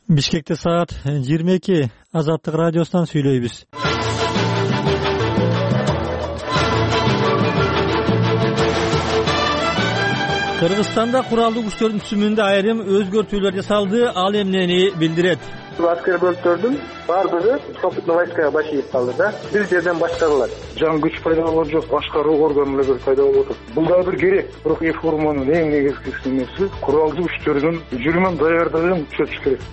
Бишкекте саат 22. Азаттык радиосунан сүйлөйбүз. Кыргызстанда куралдуу күчтөрдүн түзүмүндө айрым өзгөртүүлөр жасалды. Ал эмнени билдирет? Аскер бөлүктөрдүн баардыгы сопутный войскага башыйып калды да. Бир жерден башкарылат. Жан күч пайда болгон жок, башкаруу органдары пайда болуп атат. Бул да бир керек. Бирок реформанын эң негизги нерси куралдуу күчтөрдүн жүрүмүн даярдыгын күчөтүш керек.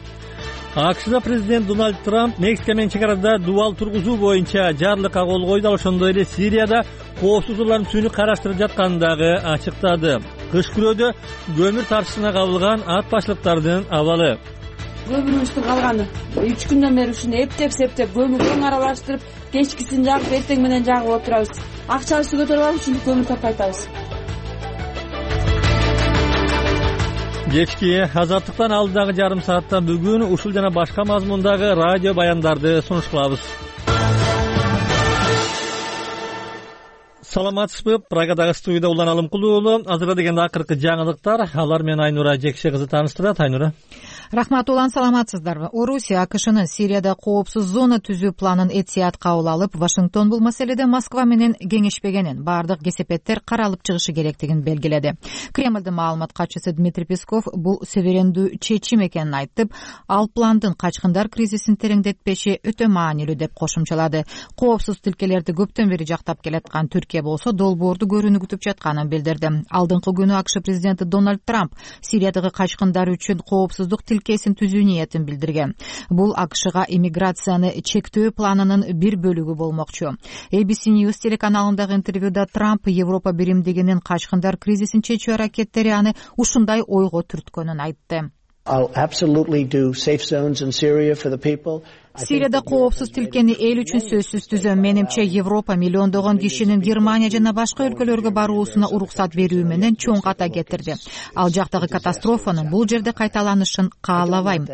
АКШда президент Дональд Трамп Мексика менен чек арада дубал тургузуу боюнча жарлыкка кол койду. Ошондой эле Сирияда коопсуз урлардын түсүүнү караштырып жатканын дагы ачыктады. Кыш күрөөдө көмүр тартышына кабылган ат башлыктардын абалы. Көмүрүбүздүн калганы 3 күндөн бери ушуну эптеп көмүрдөн аралаштырып, кечкисин жагып, эртең менен жагып отурабыз. Акчабызды көтөрүп алып ушинтип көмүр таппай атабыз. Кечки Азаттыктан алдыдагы жарым саатта бүгүн ушул жана башка мазмундагы радио баяндарды сунуш кылабыз. Саламатсызбы? Прагадагы студияда Улан Алымкулуу. Азыркы дегенде акыркы жаңылыктар. Алар менен Айнура Жекше кызы тааныштырат. Айнура. Рахмат, Улан, саламатсыздарбы? Орусия АКШнын Сирияда коопсуз зона түзүү планын этият кабыл алып, Вашингтон бул маселеде Москва менен кеңешпегенин, бардык кесепеттер каралып чыгышы керектигин белгиледи. Кремлдин маалымат катчысы Дмитрий Песков бул суверендүү чечим экенин айтып, ал пландын качкындар кризисин тереңдетпеши өтө маанилүү деп кошумчалады. Коопсуз тилкелерди көптөн бери жактап келаткан Түркия болсо долбоорду көрүүнү күтүп жатканын билдирди. Алдыңкы күнү АКШ президенти Дональд Трамп Сириядагы качкындар үчүн коопсуздук тилкесин түзүү ниетин билдирген. Бул АКШга иммиграцияны чектөө планынын бир бөлүгү болмокчу. ABC News телеканалындагы интервьюда Трамп Европа биримдигинин качкындар кризисин чечүү аракеттери аны ушундай ойго түрткөнүн айтты. Сирияда коопсуз тилкени эл үчүн сөзсүз түзөм. Менимче Европа миллиондогон кишинин Германия жана башка өлкөлөргө баруусуна уруксат берүү менен чоң ката кетирди. Ал жактагы катастрофанын бул жерде кайталанышын каалабайм,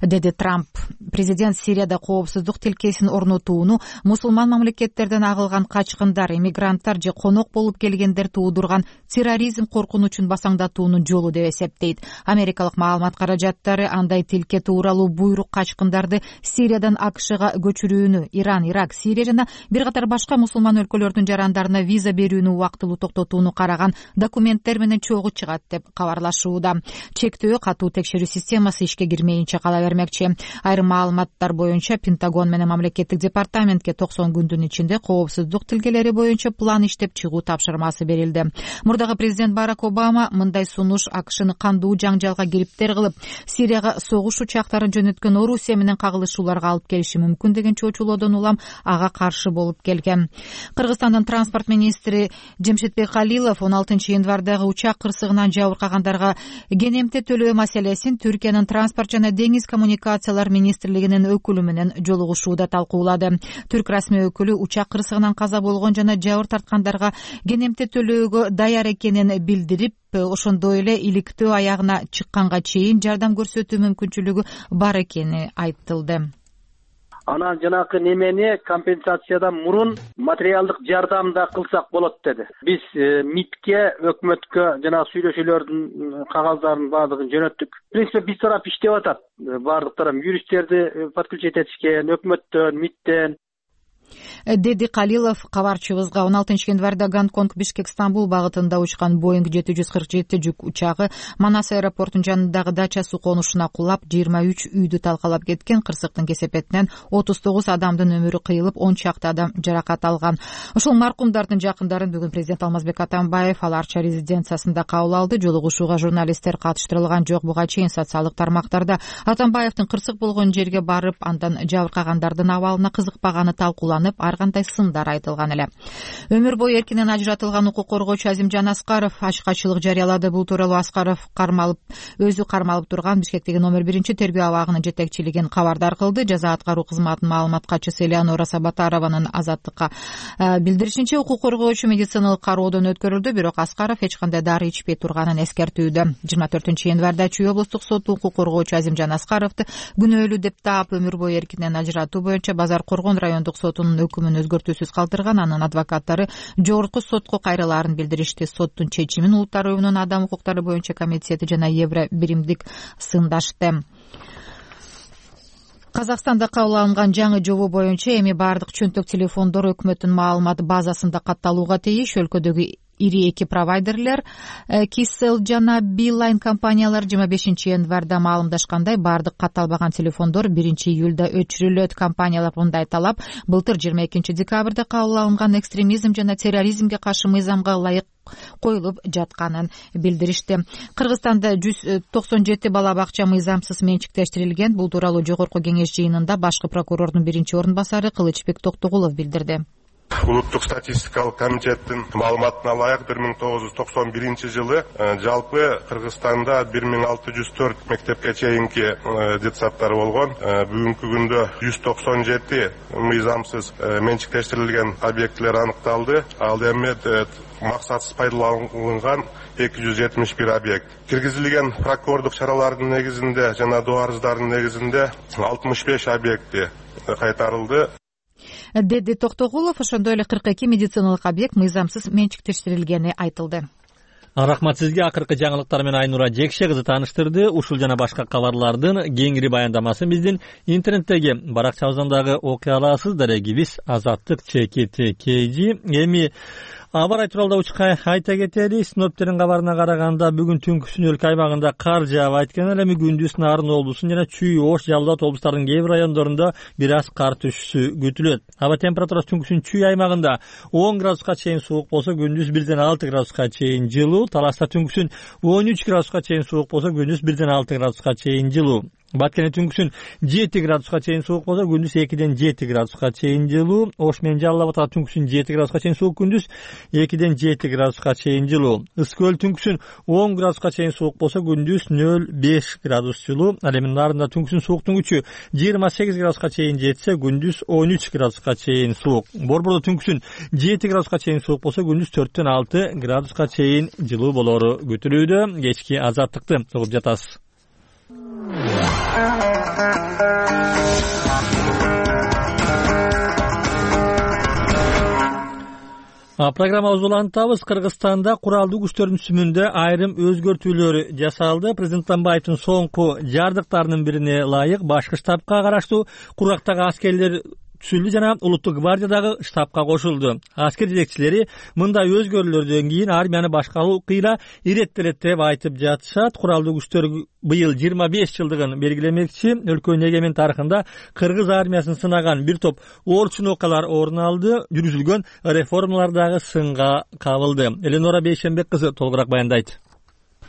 деди Трамп. Президент Сирияда коопсуздук тилкесин орнотууну мусулман мамлекеттерден агылган качкындар, иммигранттар же конок болуп келгендер туудурган терроризм коркунучун басаңдатуунун жолу деп эсептейт. Америкалык маалымат каражаттары андай тилке тууралуу буйрук качкындарды Сириядан АКШга көчүрүүнү, Иран, Ирак, Сирия жана бир катар башка мусулман өлкөлөрдүн жарандарына виза берүүнү убактылуу токтотууну караган документтер менен чогуу чыгат деп кабарлашууда. Чектөө катуу текшерүү системасы ишке кирмейинче кала бермекчи. Айрым маалыматтар боюнча Пентагон менен мамлекеттик департаментке 90 күндүн ичинде коопсуздук тилкелери боюнча план иштеп чыгуу тапшырмасы берилди. Мурдагы президент Барак Обама мындай сунуш АКШны кандуу жаңжалга кириптер кылып, Сирияга согуш учактарын жөнөткөн Орусия менен кагылышууларга алып келиши мүмкүн деген чочулоодон улам ага каршы болуп келген. Кыргызстандын транспорт министри Жемшитбек Калилов 16 январдагы учак кырсыгынан жабыркагандарга кенемте төлөө маселесин Түркиянын транспорт жана деңиз коммуникациялар министрлигинин өкүлү менен жолугушууда талкуулады. Түрк расмий өкүлү учак кырсыгынан каза болгон жана жабыр тарткандарга кенемте төлөөгө даяр экенин билдирип, ошондой эле иликтөө аягына чыкканга чейин жардам көрсөтүү мүмкүнчүлүгү бар экени айтылды. Анан жанакы немени компенсациядан мурун материалдык жардам да кылсак болот деди. Биз МИДке, өкмөткө жанагы сүйлөшүүлөрдүн кагаздарын баардыгын жөнөттүк. В принципе, биз тарап иштеп атат. Баардык тарап юристтерди подключить этишкен, өкмөттөн, МИДтен, деди Калилов кабарчыбызга. 16 январда Гонконг Бишкек Стамбул багытында учкан Боинг 747 жүк учагы Манас аэропортунун жанындагы дача суу конушуна кулап, 23 үйдү талкалап кеткен. Кырсыктын кесепетинен 39 адамдын өмүрү кыйылып, 10 чакты адам жаракат алган. Ушул маркумдардын жакындарын бүгүн президент Алмазбек Атамбаев ал Арча резиденциясында кабыл алды. Жолугушууга журналисттер катыштырылган жок. Буга чейин социалдык тармактарда Атамбаевдин кырсык болгон жерге барып, андан жабыркагандардын абалына кызыкпаганы талкууланып, ар кандай сындар айтылган эле. Өмүр бою эркинен ажыратылган укук коргоочу Азимжан Аскаров ачкачылык жарыялады. Бул тууралуу Аскаров өзү кармалып турган Бишкектеги номер 1 тергөө абагынын жетекчилигин кабардар кылды. Жаза аткаруу кызматынын маалымат катчысы Элеонора Сабатарованын Азаттыкка билдиришинче, укук коргоочу медициналык кароодон өткөрүлдү, бирок Аскаров эч кандай дары ичпей турганын эскертүүдө. 24 январда Чүй облустук соту укук коргоочу Азимжан Аскаровду күнөөлүү деп таап, өмүр бою эркинен ажыратуу боюнча Базар Коргон райондук сотунун соттун өкүмүн өзгөртүүсүз калтырган. Анын адвокаттары жогорку сотко кайрылаарын билдиришти. Соттун чечимин Улуттар уюмунун адам укуктары боюнча комитети жана Евро биримдик сындашты. Казакстанда кабыл алынган жаңы жобо боюнча эми баардык чөнтөк телефондор өкмөттүн маалымат базасында катталууга тийиш. Өлкөдөгү ири эки провайдерлер Kcell жана Beeline компаниялар 25 январда маалымдашкандай, баардык катталбаган телефондор 1-июлда өчүрүлөт. Компаниялар мындай талап былтыр 22 декабрда кабыл алынган экстремизм жана терроризмге каршы мыйзамга ылайык коюлуп жатканын билдиришти. Кыргызстанда 197 бала бакча мыйзамсыз менчиктештирилген. Бул тууралуу жогорку кеңеш жыйынында башкы прокурордун биринчи орун басары Кылычбек Токтогулов билдирди. Улуттук статистикалык комитеттин маалыматына ылайык 1991 жылы жалпы Кыргызстанда 1604 мектепке чейинки детсадтар болгон. Бүгүнкү күндө 197 мыйзамсыз менчиктештирилген объектилер аныкталды. Ал эми максатсыз пайдаланган 271 объект. Киргизилген прокурордук чаралардын негизинде жана доо арыздардын негизинде 65 объекти кайтарылды, деди Токтогулов. Ошондой эле 42 медициналык объект мыйзамсыз менчиктештирилгени айтылды. Рахмат сизге. Акыркы жаңылыктар менен Айнура Жекше кызы тааныштырды. Ушул жана башка кабарлардын кеңири баяндамасын биздин интернеттеги баракчабыздан дагы окуй аласыз. Дарегибиз Азаттык ЧКТ Эми аба тууралуу айта кетели. Синоптиктердин кабарына караганда бүгүн түнкүсүн өлкө аймагында кар жаап, айткан эле күндүз Нарын облусунун жана Чүй, Ош, Жалал Абад облустарынын кээ бир райондорунда бир аз кар түшүшү күтүлөт. Аба температурасы түнкүсүн Чүй аймагында 10 градуска чейин суук болсо, күндүз 1-6 градуска чейин жылуу. Таласта түнкүсүн 13 градуска чейин суук болсо, күндүз 1-6 градуска чейин жылуу. Баткене түнкүсүн 7 градуска чейин суук болсо, күндүз 2-7 градуска чейин жылуу. Ош менен Жалал Абадта түнкүсүн 7 градуска чейин суук, күндүз 2-7 градуска чейин жылуу. Ысык-Көл түнкүсүн 10 градуска чейин суук болсо, күндүз 0-5 градус жылуу. Ал эми Нарында түнкүсүн сууктун күчү 28 градуска чейин жетсе, күндүз 13 градуска чейин суук. Борбордо түнкүсүн 7 градуска чейин суук болсо, күндүз 4-6 градуска чейин жылуу болору күтүлүүдө. Кечки Азаттыкты угуп жатасыз. Программабызды улантабыз. Кыргызстанда куралдуу күчтөрдүн түзүмүндө айрым өзгөртүүлөр жасалды. Президент Атамбаевдин соңку жардыктарынын бирине ылайык башкы штабка караштуу кургактагы аскерлер түзүлдү жана Улуттук гвардиядагы штабка кошулду. Аскер жетекчилери мындай өзгөрүүлөрдөн кийин армияны башкаруу кыйла иреттелет деп айтып жатышат. Куралдуу күчтөр быйыл 25 жылдыгын белгилемекчи. Өлкөнүн эгемен тарыхында кыргыз армиясын сынаган бир топ орчун окуялар орун алды. Жүргүзүлгөн реформалар дагы сынга кабылды. Эленора Бейшенбек кызы толугураак баяндайт.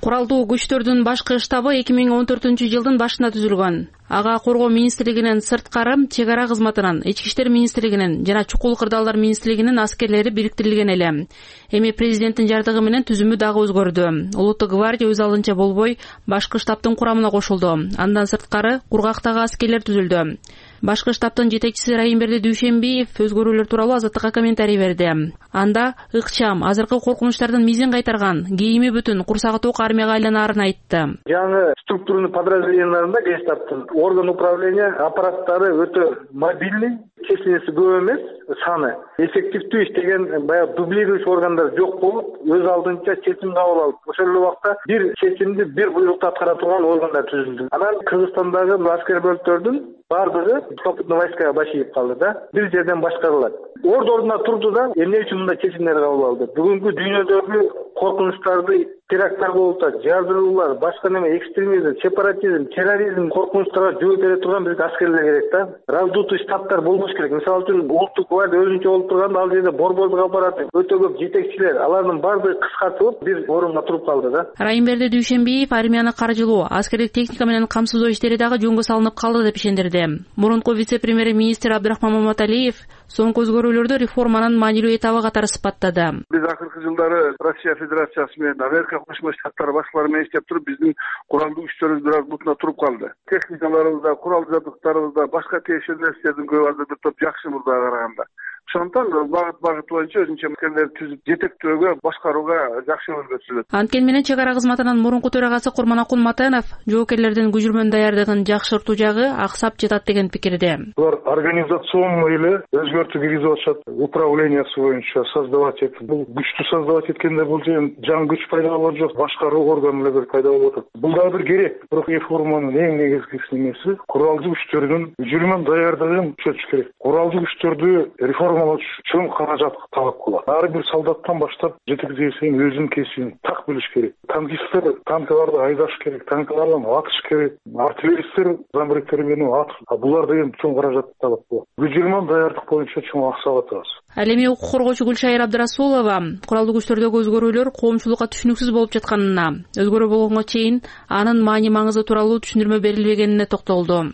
Куралдуу күчтөрдүн башкы штабы 2014-жылдын башында түзүлгөн. Ага Коргоо министрлигинин сырткары, чек ара кызматынын, Ички иштер министрлигинин жана чукул кырдаалдар министрлигинин аскерлери бириктирилген эле. Эми президенттин жардыгы менен түзүмү дагы өзгөрдү. Улуттук гвардия өз алдынча болбой башкы штабтын курамына кошулду. Андан сырткары кургактагы аскерлер түзүлдү. Башкы штабтын жетекчиси Райымберди Дүйшенбиев өзгөрүүлөр тууралуу Азаттыкка комментарий берди. Анда ыкчам, азыркы коркунучтардын мизин кайтарган, кийими бүтүн, курсагы ток армияга айланаарын айтты. Жаңы структурный подразделенияларында Гестаптын орган управления аппараттары өтө мобильный, численности көп эмес, саны эффективдүү иштеген, баягы дублирующий органдар жок болуп, өз алдынча чечим кабыл алып, ошол эле убакта бир чечимди бир буйрукту аткара турган органдар түзүлдү. Анан Кыргызстандагы аскер бөлүктөрдүн бардыгы сухопутный войскага башыйып калды да, бир жерден башкарылат. Ордуна турду да, эмне үчүн мындай чечимдер кабыл алды? Бүгүнкү дүйнөдөгү коркунучтарды, теракттар болуп атат, жардыруулар, башка неме, экстремизм, сепаратизм, терроризм коркунучтарга жооп бере турган бизге аскерлер керек да. Раздутый штабтар болбош керек. Мисалы үчүн Улуттук гвардия өзүнчө болуп турганда ал жерде борбордук аппарат, өтө көп жетекчилер, алардын бардыгы кыскартылып бир орунга туруп калды да. Райымберди Дүйшенбиев армияны каржылоо, аскердик техника менен камсыздоо иштери дагы жөнгө салынып калды деп ишендирди. Мурунку вице-премьер-министр Абдрахман Маматалиев соңку өзгөрүүлөрдү реформанын маанилүү этабы катары сыпаттады. Биз акыркы жылдары Россия Федерациясы менен Америка Кошмо Штаттары башкалары менен иштеп туруп, биздин куралдуу күчтөрүбүз бир аз бутуна туруп калды. Техникаларыбызда, курал жабдыктарыбызда, башка тиешелүү нерселердин көбү азыр бир топ жакшы мурдага караганда. Ошондон багыт боюнча өзүнчө мекемелерди түзүп жетектөөгө, башкарууга жакшы өргөтүлөт. Анткени менен чек ара кызматынын мурунку төрагасы Курманакул Матенов жоокерлердин көчүрмөнүн даярдыгын жакшыртуу жагы аксап жатат деген пикирде. Булар организационный эле өзгөртүү киргизип атышат. Управлениясы боюнча создавать этип, бул күчтү создавать эткенде бул жаңы күч пайда болот жок, башкаруу органы эле пайда болуп атат. Бул дагы бир керек. Бирок реформанын эң негизги немеси куралдуу күчтөрдүн жүрүмөн даярдыгын күчөтүш керек. Куралдуу күчтөрдү реформалоо чоң каражат талап кылат. Ар бир солдаттан баштап жетекчиге чейин өзүнүн кесибин так билиш керек. Танкисттер танкаларды айдаш керек, танкалардан атыш керек, артиллеристтер замбректер менен атыш. Булар деген чоң каражат талап кылат. Жүрүмөн даярдык боюнча чоң аксап атабыз. Ал эми укук коргоочу Гүлшайыр Абдрасулова куралдуу күчтөрдөгү өзгөрүүлөр коомчулукка түшүнүксүз болуп жатканына, өзгөрүү болгонго чейин анын маани маңызы тууралуу түшүндүрмө берилбегенине токтолду.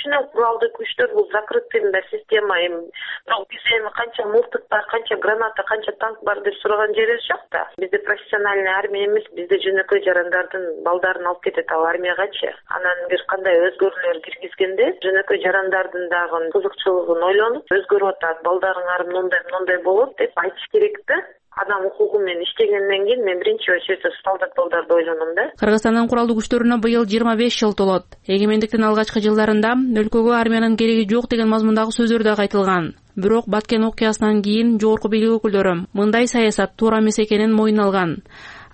Куралдуу күчтөр бул закрытый система. Бирок биз эми канча мылтык бар, канча граната, канча танк бар деп сураган жерибиз жок да. Бизде профессиональный армия эмес, бизде жөнөкөй жарандардын балдарын алып кетет ал армиягачы. Анан бир кандай өзгөрүүлөр киргизгенде жөнөкөй жарандардын дагы кызыкчылыгын ойлонуп, өзгөрүп атат, балдарыңар мындай болот деп айтыш керек да. Адам укугу менен иштегенден кийин мен биринчи очередте солдат балдарды ойлоном да. Кыргызстандын куралдуу күчтөрүнө быйыл 25 жыл толот. Эгемендиктин алгачкы жылдарында өлкөгө армиянын кереги жок деген мазмундагы сөздөр дагы айтылган. Бирок Баткен окуясынан кийин жогорку бийлик өкүлдөрү мындай саясат туура эмес экенин мойнуна алган.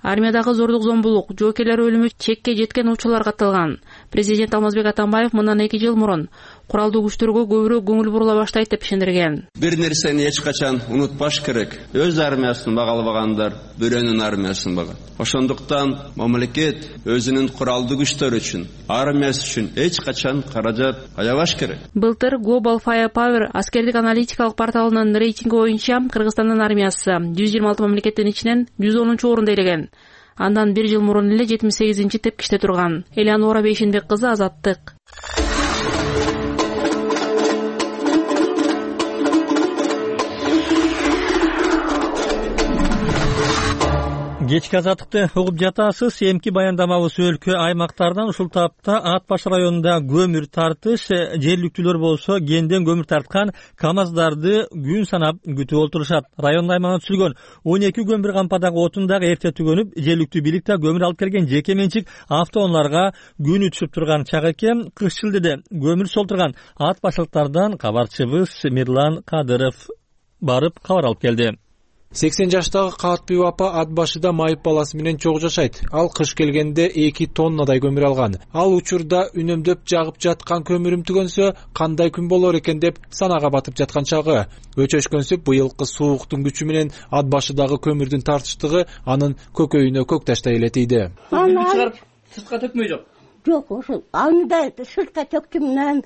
Армиядагы зордук зомбулук, жоокерлер өлүмү чекке жеткен учурлар катталган. Президент Алмазбек Атамбаев мындан 2 жыл мурун куралдуу күчтөргө көбүрөөк көңүл бурула баштайт деп ишендирген. Бир нерсени эч качан унутпаш керек. Өз армиясын багалбагандар бирөөнүн армиясын багат. Ошондуктан мамлекет өзүнүн куралдуу күчтөрү үчүн, армиясы үчүн эч качан каражат аябаш керек. Былтыр Global Firepower аскердик аналитикалык порталынын рейтинги боюнча Кыргызстандын армиясы 126 мамлекеттин ичинен 110-чу орунда элеген. Андан 1 жыл мурун эле 78-чи тепкичте турган. Элеонора Бейшенбек кызы, Азаттык. Кечки Азаттыкты угуп жатасыз. Эмки баяндамабыз өлкө аймактардан ушул тапта Ат баш районунда көмүр тартыш, жергиликтүүлөр болсо кенден көмүр тарткан КАМАЗдарды күн санап күтүп отурушат. Район аймагына түзүлгөн 12 көмүр кампадагы отун дагы эрте түгөнүп, жергиликтүү бийлик да көмүр алып келген жеке менчик автоунааларга күнү түшүп турган чак экен. Кыш шилдеде көмүр солтурган Ат башылыктардан кабарчыбыз Мирлан Кадыров барып кабар алып келди. 80 жаштагы Каатбү апа ат башыда майып баласы менен чогуу жашайт. Ал кыш келгенде 2 тоннадай көмүр алган. Ал учурда үнөмдөп жагып жаткан көмүрүм түгөнсө кандай күн болор экен деп санага батып жаткан чагы. Өчөшкөнсүп быйылкы сууктун күчү менен ат башыдагы көмүрдүн тартыштыгы анын көкөйүнө көк таштай эле тийди. Аны чыгарып сыртка төкмөй жок. Жок, ошо анда сыртка төктүм.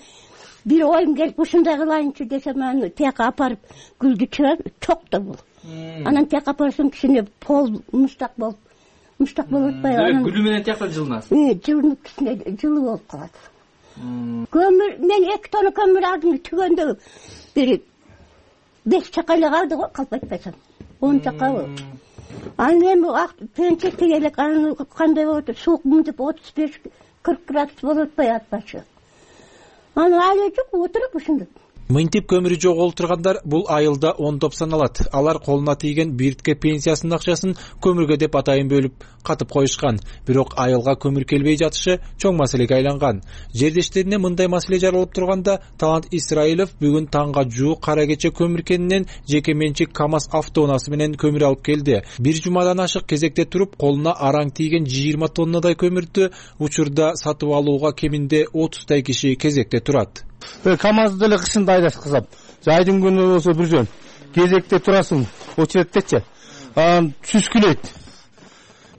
Бир оюм келип ушундай кылайынчы десем, аны тияка апарып гүлдү чыгарып токто бул. Анан тияка апарсам кичине пол муштак болуп атпайбы? Гүлү менен тияктан жылынасыз. Жылынып кичине жылуу болуп калат. Көмүр мен 2 тонна көмүр алдым түгөндө. Бир 5 чака эле калды го, калп айтпасам. 10 чака болду. Аны эми пенчекте элек аны кандай болот? Суук мынтип 35-40 градус болуп атпайбы ат башы? Аны алы жок, отуруп ушундай. Мынтип көмүрү жоголтургандар бул айылда ондоп саналат. Алар колуна тийген биртке пенсиясынын акчасын көмүргө деп атайын бөлүп катып коюшкан. Бирок айылга көмүр келбей жатышы чоң маселеге айланган. Жердештерине мындай маселе жаралып турганда Талант Исраилов бүгүн таңга жуук кара кече көмүр кенинен жеке менчик КАМАЗ автоунаасы менен көмүр алып келди. Бир жумадан ашык кезекте туруп, колуна араң тийген 20 тоннадай көмүрдү учурда сатып алууга кеминде 30 киши кезекте турат. КАМАЗды эле кышында айдаткызам. Жайдын күнү болсо бир жөн. Кезекте турасың, очередтечи. Анан сүскүлөйт.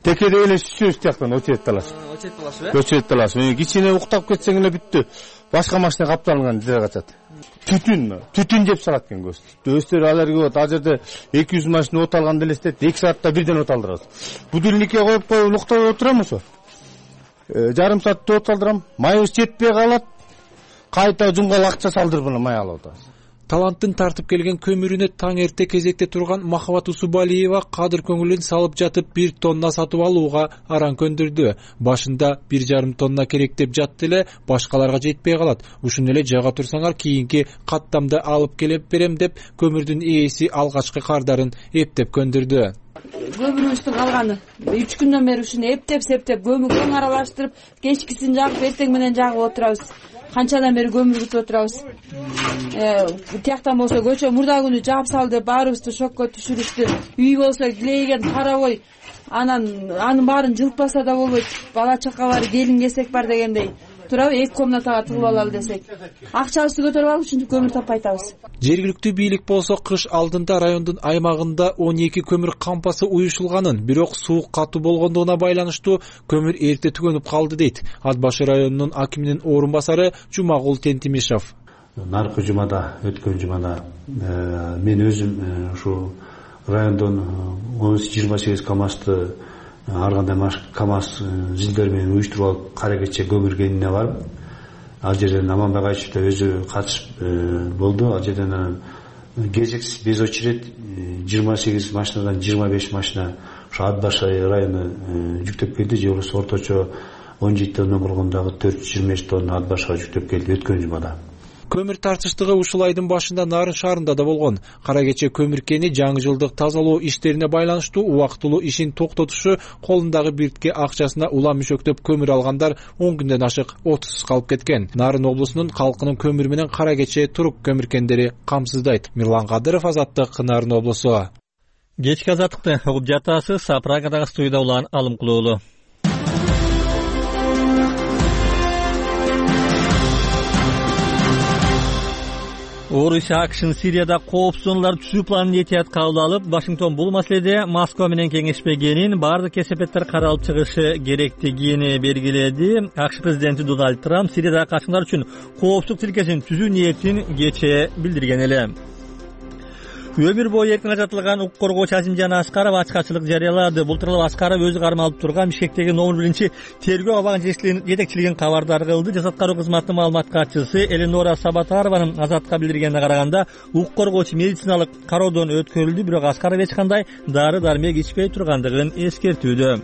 Текеде эле сүзөбүз тияктан очередте аласың. Очередте аласың. Кичине уктап кетсең эле бүттү. Башка машина капталган жер качат. Түтүн жеп салат экен көз. Өстөр аларга болот. Ал жерде 200 машина от алган элестет. 2 саатта бирден от алдырабыз. Будильникке коюп уктап отурам ошо. Жарым саатта от алдырам. Майыбыз жетпей калат. Кайта жумгал акча салдырып май алып атабыз. таланттын тартып келген көмүрүнө таң эрте кезекте турган Махабат Усубалиева кадыр көңүлүн салып жатып 1 тонна сатып алууга аран көндүрдү. Башында 1,5 тонна керек деп жатты эле, башкаларга жетпей калат. Ушуну эле жага турсаңар кийинки каттамда алып келип берем деп көмүрдүн ээси алгачкы кардарын эптеп көндүрдү. Көмүрүбүздүн калганы 3 күндөн бери ушуну эптеп көмүргө аралаштырып, кечкисин жагып, эртең менен жагып отурабыз. Канчадан бери көмүр күтүп отурабыз. Тияктан болсо көчө мурда күнү жаап сал деп баарыбызды шокко түшүрүштү. Үй болсо килейген карабой, анын баарын жылытпаса да болбойт. Бала чака бар, келин кесек бар дегендей. Турабы 2 комнатага тыгып алалы десек, акчабызды көтөрүп алып ушинтип көмүр таппай атабыз. Жергиликтүү бийлик болсо кыш алдында райондун аймагында 12 көмүр кампасы уюшулганын, бирок суук катуу болгондугуна байланыштуу көмүр эрте түгөнүп калды дейт Ат башы районунун акиминин орун басары Жумагул Тентимишев. Наркы жумада, өткөн жумада мен өзүм ушу райондон 28 КАМАЗды ар кандай КАМАЗ зилдер менен уюштуруп алып кара кече көмүр кенине барып, ал жерден Аманбек Айчев да өзү катышып болду. Ал жерден кезексиз без очередь 28 машинадан 25 машина ушу Ат башы району жүктөп келди. Же болбосо орточо 17 тонна болгондагы 425 тонна Ат башыга жүктөп келди өткөн жумада. Көмүр тартыштыгы ушул айдын башында Нарын шаарында да болгон. Кара кече көмүр кени жаңы жылдык тазалоо иштерине байланыштуу убактылуу ишин токтотушу, колундагы биртке акчасына улам мүшөктөп көмүр алгандар 10 күндөн ашык отусуз калып кеткен. Нарын облусунун калкынын көмүр менен кара кече турук көмүркендери камсыздайт. Мирлан Кадыров, Азаттык, Нарын облусу. Кечки азаттыкты угуп жатасыз. Прагадагы студияда улан Алымкулуулу. Орус АКШнын Сирияда коопсуз зоналар түзүү планын этият кабыл алып, Вашингтон бул маселеде Москва менен кеңешпегенин, бардык кесепеттер каралып чыгышы керектигин белгиледи. АКШ президенти Дональд Трамп Сириядагы качкындар үчүн коопсуздук тилкесин түзүү ниетин кечээ билдирген эле. Өмүр бою эркин ажатылган укук коргоочу Азимжан Аскаров ачкачылык жарыялады. Бул тууралуу Аскаров өзү кармалып турган Бишкектеги номер 1 тергөө абагын жетекчилигин кабардар кылды. Жасат кароо кызматынын маалымат катчысы Эленора Сабатарованын Азатка билдиргенине караганда, укук коргоочу медициналык кароодон өткөрүлдү, бирок Аскаров эч кандай дары-дармек ичпей тургандыгын эскертүүдө.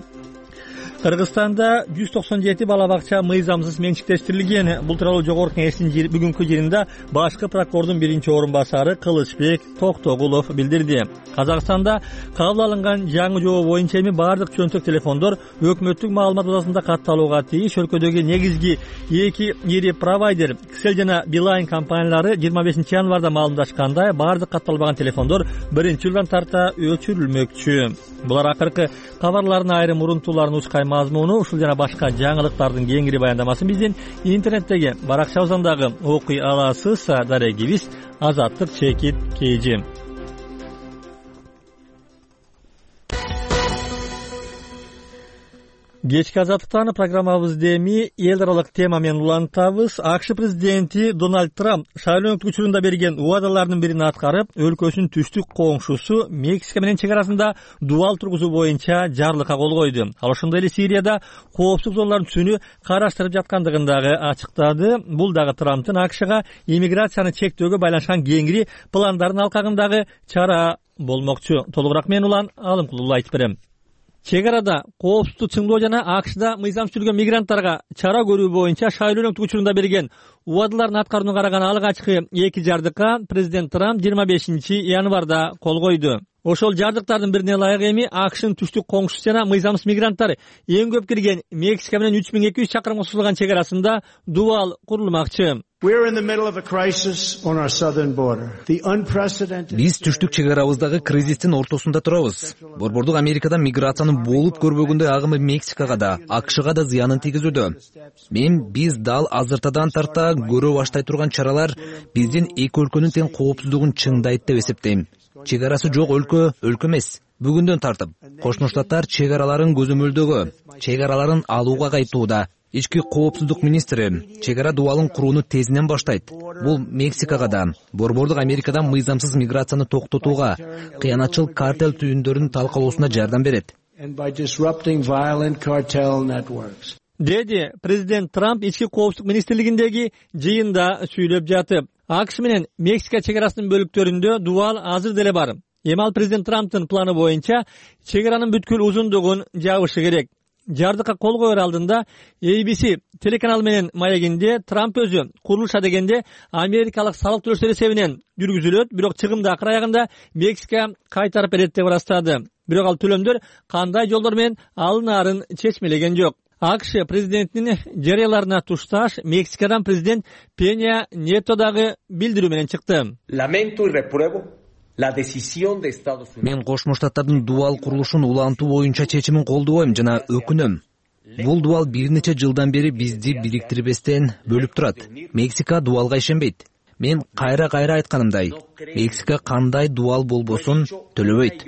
Кыргызстанда 197 бала бакча мыйзамсыз менчиктештирилген. Бул тууралуу Жогорку Кеңештин бүгүнкү жыйынында башкы прокурордун 1-орун басары Кылычбек Токтогулов билдирди. Казакстанда кабыл алынган жаңы жобо боюнча эми бардык чөнтөк телефондор өкмөттүк маалымат базасында катталууга тийиш. Өлкөдөгү негизги 2 ири провайдер Кселл жана Билайн компаниялары 25 январда маалымдашкандай, бардык катталбаган телефондор 1-жылдан тарта өчүрүлмөкчү. Булар акыркы кабарлардын айрым урунтууларын ушкай мазмуну, ушул жана башка жаңылыктардын кеңири баяндамасын биздин интернеттеги баракчабыздан дагы окуй аласыз. Дарегибиз Азаттык чекит KG. Кечки азаттыктан программабызды эми эл аралык тема менен улантабыз. АКШ президенти Дональд Трамп шайлоо учурунда берген убадаларынын бирин аткарып, өлкөсүнүн түштүк коңшусу Мексика менен чек арасында дубал тургузуу боюнча жарлыкка кол койду. Ал ошондой эле Сирияда коопсуздук зоналарын түзүүнү караштырып жаткандыгын дагы ачыктады. Бул дагы Трамптын АКШга иммиграцияны чектөөгө байланышкан кеңири пландардын алкагындагы чара болмокчу. Толугураак мен улан Алымкулуулу айтып берем. Чек арада коопсуздукту чыңдоо жана АКШда мыйзамсыз жүргөн мигранттарга чара көрүү боюнча шайлоо учурунда берген убадаларын аткарууну караган алгачкы 2 жардыкка президент Трамп 25 январда кол койду. Ошол жардыктардын бирине ылайык эми АКШнын түштүк коңшусу жана мыйзамсыз мигранттар эң көп кирген Мексика менен 3200 чакырымга созулган чек арасында дубал курулмакчы. Биз түштүк чек арабыздагы кризистин ортосунда турабыз. Борбордук Америкадан миграциянын болуп көрбөгөндөй агымы Мексикага да, АКШга да зыянын тийгизүүдө. Биз дал азыртадан тарта көрө баштай турган чаралар биздин эки өлкөнүн тең коопсуздугун чыңдайт деп эсептейм. Чек арасы жок өлкө эмес. Бүгүндөн тартып, Кошмо Штаттар чек араларын көзөмөлдөгө, чек араларын алууга кайтууда. Ички коопсуздук министри чек ара дубалын курууну тезинен баштайт. Бул Мексикага да, Борбордук Америкадан мыйзамсыз миграцияны токтотууга, кыянатчыл картел түйүндөрүн талкалоосуна жардам берет. деди президент Трамп ички коопсуздук министрлигиндеги жыйында сүйлөп жатып. АКШ менен Мексика чек арасынын бөлүктөрүндө дубал азыр деле бар. Эми ал президент Трамптын планы боюнча чек аранын бүткүл узундугун жабышы керек. Жардыкка кол коер алдында ABC телеканалы менен маегинде Трамп өзү курулуш адегенде америкалык салык төлөөчүлөр эсебинен жүргүзүлөт, бирок чыгымды акыр аягында Мексика кайтарып берет деп ырастады. Бирок ал төлөмдөр кандай жолдор менен алынаарын чечмелеген жок. АКШ президентинин жарыяларына тушташ Мексикадан президент Пеня Нето дагы билдирүү менен чыкты. Мен Кошмо Штаттардын дубал курулушун улантуу боюнча чечимин колдобойм жана өкүнөм. Бул дубал бир нече жылдан бери бизди бириктирбестен бөлүп турат. Мексика дубалга ишенбейт. Мен кайра айтканымдай, Мексика кандай дубал болбосун төлөбөйт.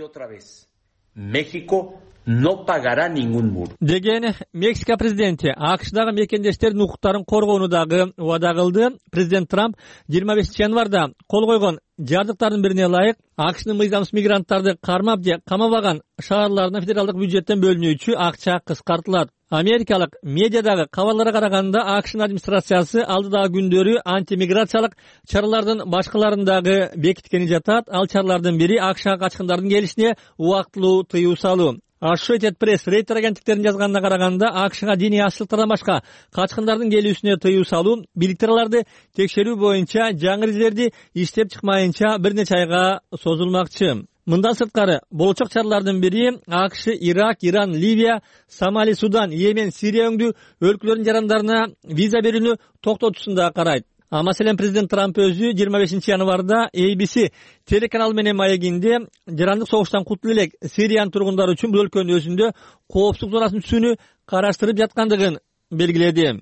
Деген Мексика президенти АКШдагы мекендештердин укуктарын коргоону дагы убада кылды. Президент Трамп 25 январда кол койгон жардыктардын бирине ылайык АКШнын мыйзамсыз мигранттарды кармап же камабаган шаарларына федералдык бюджеттен бөлүнүүчү акча кыскартылат. Америкалык медиадагы кабарларга караганда АКШнын администрациясы алдыдагы күндөрү антимиграциялык чаралардын башкаларын дагы бекиткени жатат. Ал чаралардын бири АКШга качкындардын келишине убактылуу тыюу салуу. Associated Press Рейтер агенттиктеринин жазганына караганда АКШга диний ашыктардан башка качкындардын келүүсүнө тыюу салуу, бийликтер аларды текшерүү боюнча жаңы эрежелерди иштеп чыкмайынча бир нече айга созулмакчы. Мындан сырткары болочок чаралардын бири АКШ Ирак, Иран, Ливия, Сомали, Судан, Йемен, Сирия өңдүү өлкөлөрдүн жарандарына виза берүүнү токтотуусунда карайт. Маселен, президент Трамп өзү 25 январда ABC телеканалы менен маегинде жарандык согуштан кутулуп элек Сириянын тургундары үчүн бул өлкөнүн өзүндө коопсуздук зонасын түзүүнү караштырып жаткандыгын белгиледи.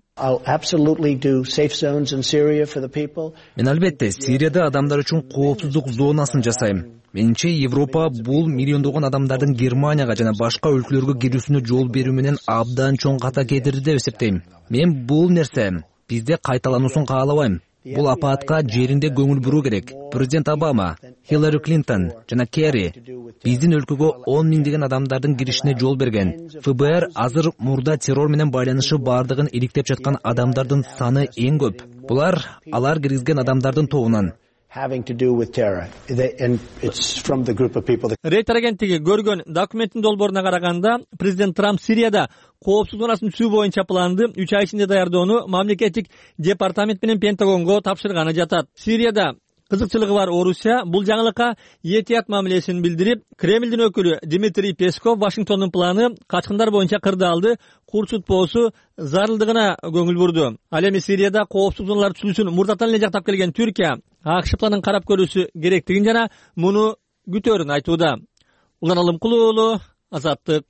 Мен албетте Сирияда адамдар үчүн коопсуздук зонасын жасайм. Менимче Европа бул миллиондогон адамдардын Германияга жана башка өлкөлөргө кирүүсүнө жол берүү менен абдан чоң ката кетирди деп эсептейм. Мен бул нерсе бизде кайталануусун каалабайм. Бул апаатка жеринде көңүл буруу керек. Президент Обама, Хиллари Клинтон жана Керри биздин өлкөгө 10 миңдеген адамдардын киришине жол берген. ФБР азыр мурда террор менен байланышы бардыгын иликтеп жаткан адамдардын саны эң көп. Булар алар киргизген адамдардын тобунан. Рейтер агенттиги көргөн документтин долбооруна караганда президент Трамп Сирияда коопсуздук зонасын түзүү боюнча планды 3 ай ичинде даярдоону мамлекеттик департамент менен Пентагонго тапшырганы жатат. Сирияда кызыкчылыгы бар Орусия бул жаңылыкка этият мамилесин билдирип, Кремлдин өкүлү Дмитрий Песков Вашингтондун планы качкындар боюнча кырдаалды курчутпоосу зарылдыгына көңүл бурду. Ал эми Сирияда коопсуздук зоналар түзүүсүн мурдатан эле жактап келген Түркия АКШ планын карап көрүүсү керектигин жана муну күтөөрүн айтууда. Улан Алымкулуу уулу, Азаттык.